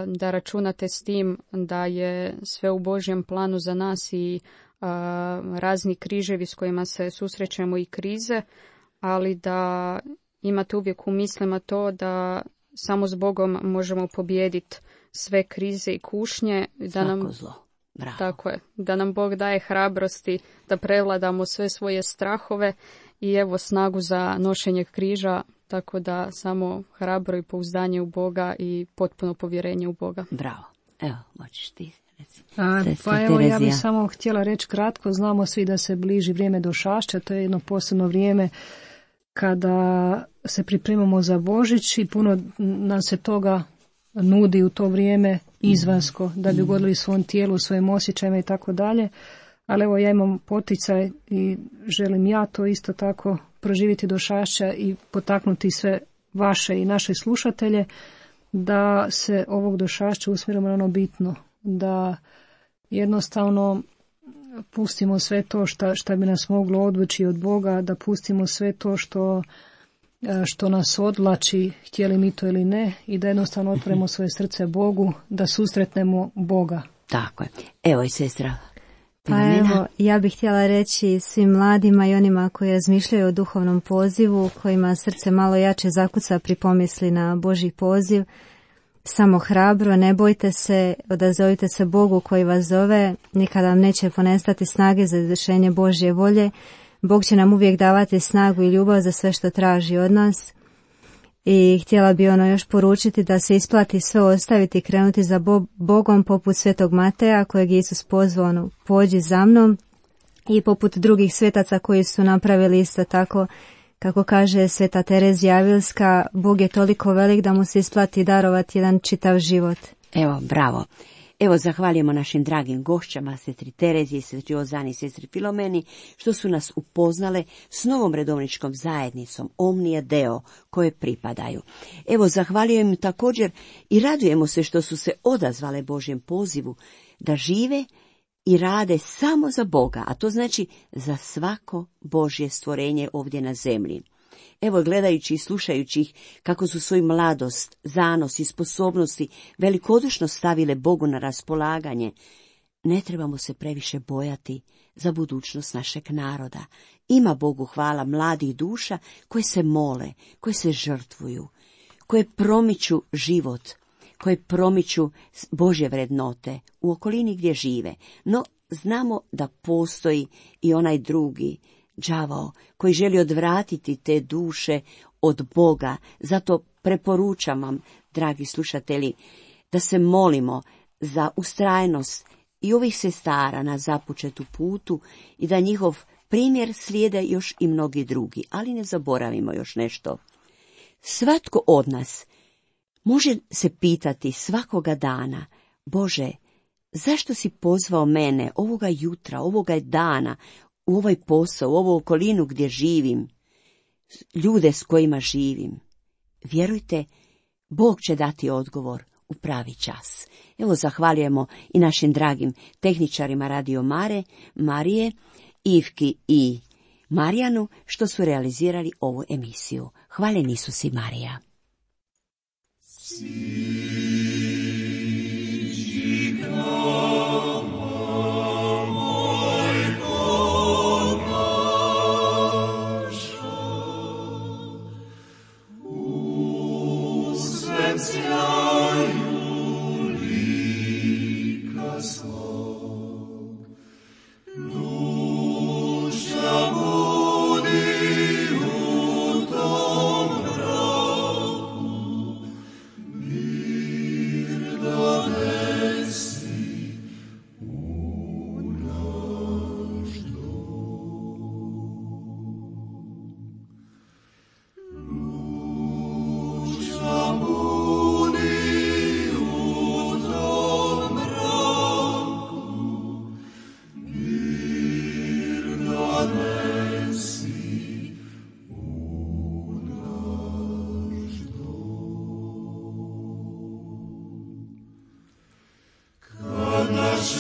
da računate s tim da je sve u Božjem planu za nas i a, razni križevi s kojima se susrećemo i krize, ali da imate uvijek u mislima to da samo s Bogom možemo pobijediti sve krize i kušnje. Da Svako nam, zlo. Bravo. tako je, da nam Bog daje hrabrosti da prevladamo sve svoje strahove i evo snagu za nošenje križa, tako da samo hrabro i pouzdanje u Boga i potpuno povjerenje u Boga. Bravo. Evo, moćeš ti. A, Sestra pa evo, ja Terezija. bih samo htjela reći kratko, znamo svi da se bliži vrijeme došašća, to je jedno posebno vrijeme kada se pripremamo za Božić i puno nam se toga nudi u to vrijeme izvansko, da bi ugodili svom tijelu, svojim osjećajima i tako dalje. Ali evo, ja imam poticaj i želim ja to isto tako proživjeti došašća i potaknuti sve vaše i naše slušatelje da se ovog došašća usmjerimo na ono bitno, da jednostavno pustimo sve to šta, šta bi nas moglo odvući od Boga, da pustimo sve to što, što nas odvlači, htjeli mi to ili ne, i da jednostavno otvorimo svoje srce Bogu, da susretnemo Boga. Tako je. Evo i sestra Pa Filomena. evo, ja bih htjela reći svim mladima i onima koji razmišljaju o duhovnom pozivu, kojima srce malo jače zakuca pri pomisli na Božji poziv, samo hrabro, ne bojte se, odazovite se Bogu koji vas zove, nikada vam neće ponestati snage za izvršenje Božje volje. Bog će nam uvijek davati snagu i ljubav za sve što traži od nas. I htjela bi ono još poručiti da se isplati sve ostaviti i krenuti za Bo- Bogom poput svetog Mateja kojeg je Isus pozvao, ono, pođi za mnom, i poput drugih svetaca koji su napravili isto tako. Kako kaže sveta Terezija Avilska, Bog je toliko velik da mu se isplati darovati jedan čitav život. Evo, bravo. Evo, zahvaljujemo našim dragim gošćama, sestri Tereziji, sestri Ozani i sestri Filomeni, što su nas upoznale s novom redovničkom zajednicom Omnia Deo, koje pripadaju. Evo, zahvaljujem im također i radujemo se što su se odazvale Božjem pozivu da žive i rade samo za Boga, a to znači za svako Božje stvorenje ovdje na zemlji. Evo, gledajući i slušajući ih kako su svoju mladost, zanos i sposobnosti velikodušno stavile Bogu na raspolaganje, ne trebamo se previše bojati za budućnost našeg naroda. Ima Bogu hvala mladih duša koje se mole, koje se žrtvuju, koje promiču život, koje promiču Božje vrednote u okolini gdje žive. No, znamo da postoji i onaj drugi, đavao, koji želi odvratiti te duše od Boga. Zato preporučam vam, dragi slušatelji, da se molimo za ustrajnost i ovih sestara na započetu putu i da njihov primjer slijede još i mnogi drugi. Ali ne zaboravimo još nešto. Svatko od nas može se pitati svakoga dana, Bože, zašto si pozvao mene ovoga jutra, ovoga dana, u ovaj posao, u ovu okolinu gdje živim, ljude s kojima živim? Vjerujte, Bog će dati odgovor u pravi čas. Evo, zahvaljujemo i našim dragim tehničarima Radio Mare, Marije, Ivki i Marijanu, što su realizirali ovu emisiju. Hvaljen Isus i Marija.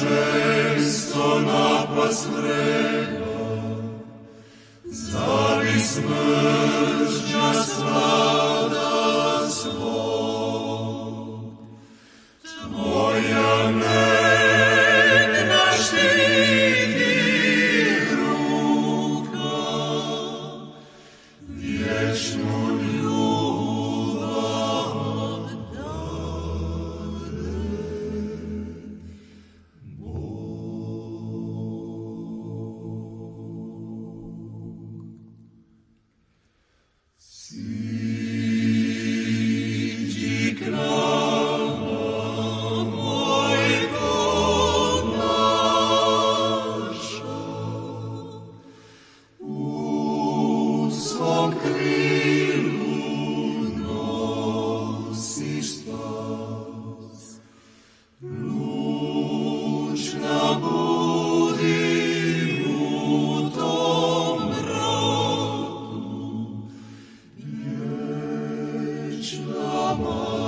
Često napast vreba, zari smrđa svada svog. Tvoja nek naštiti Lama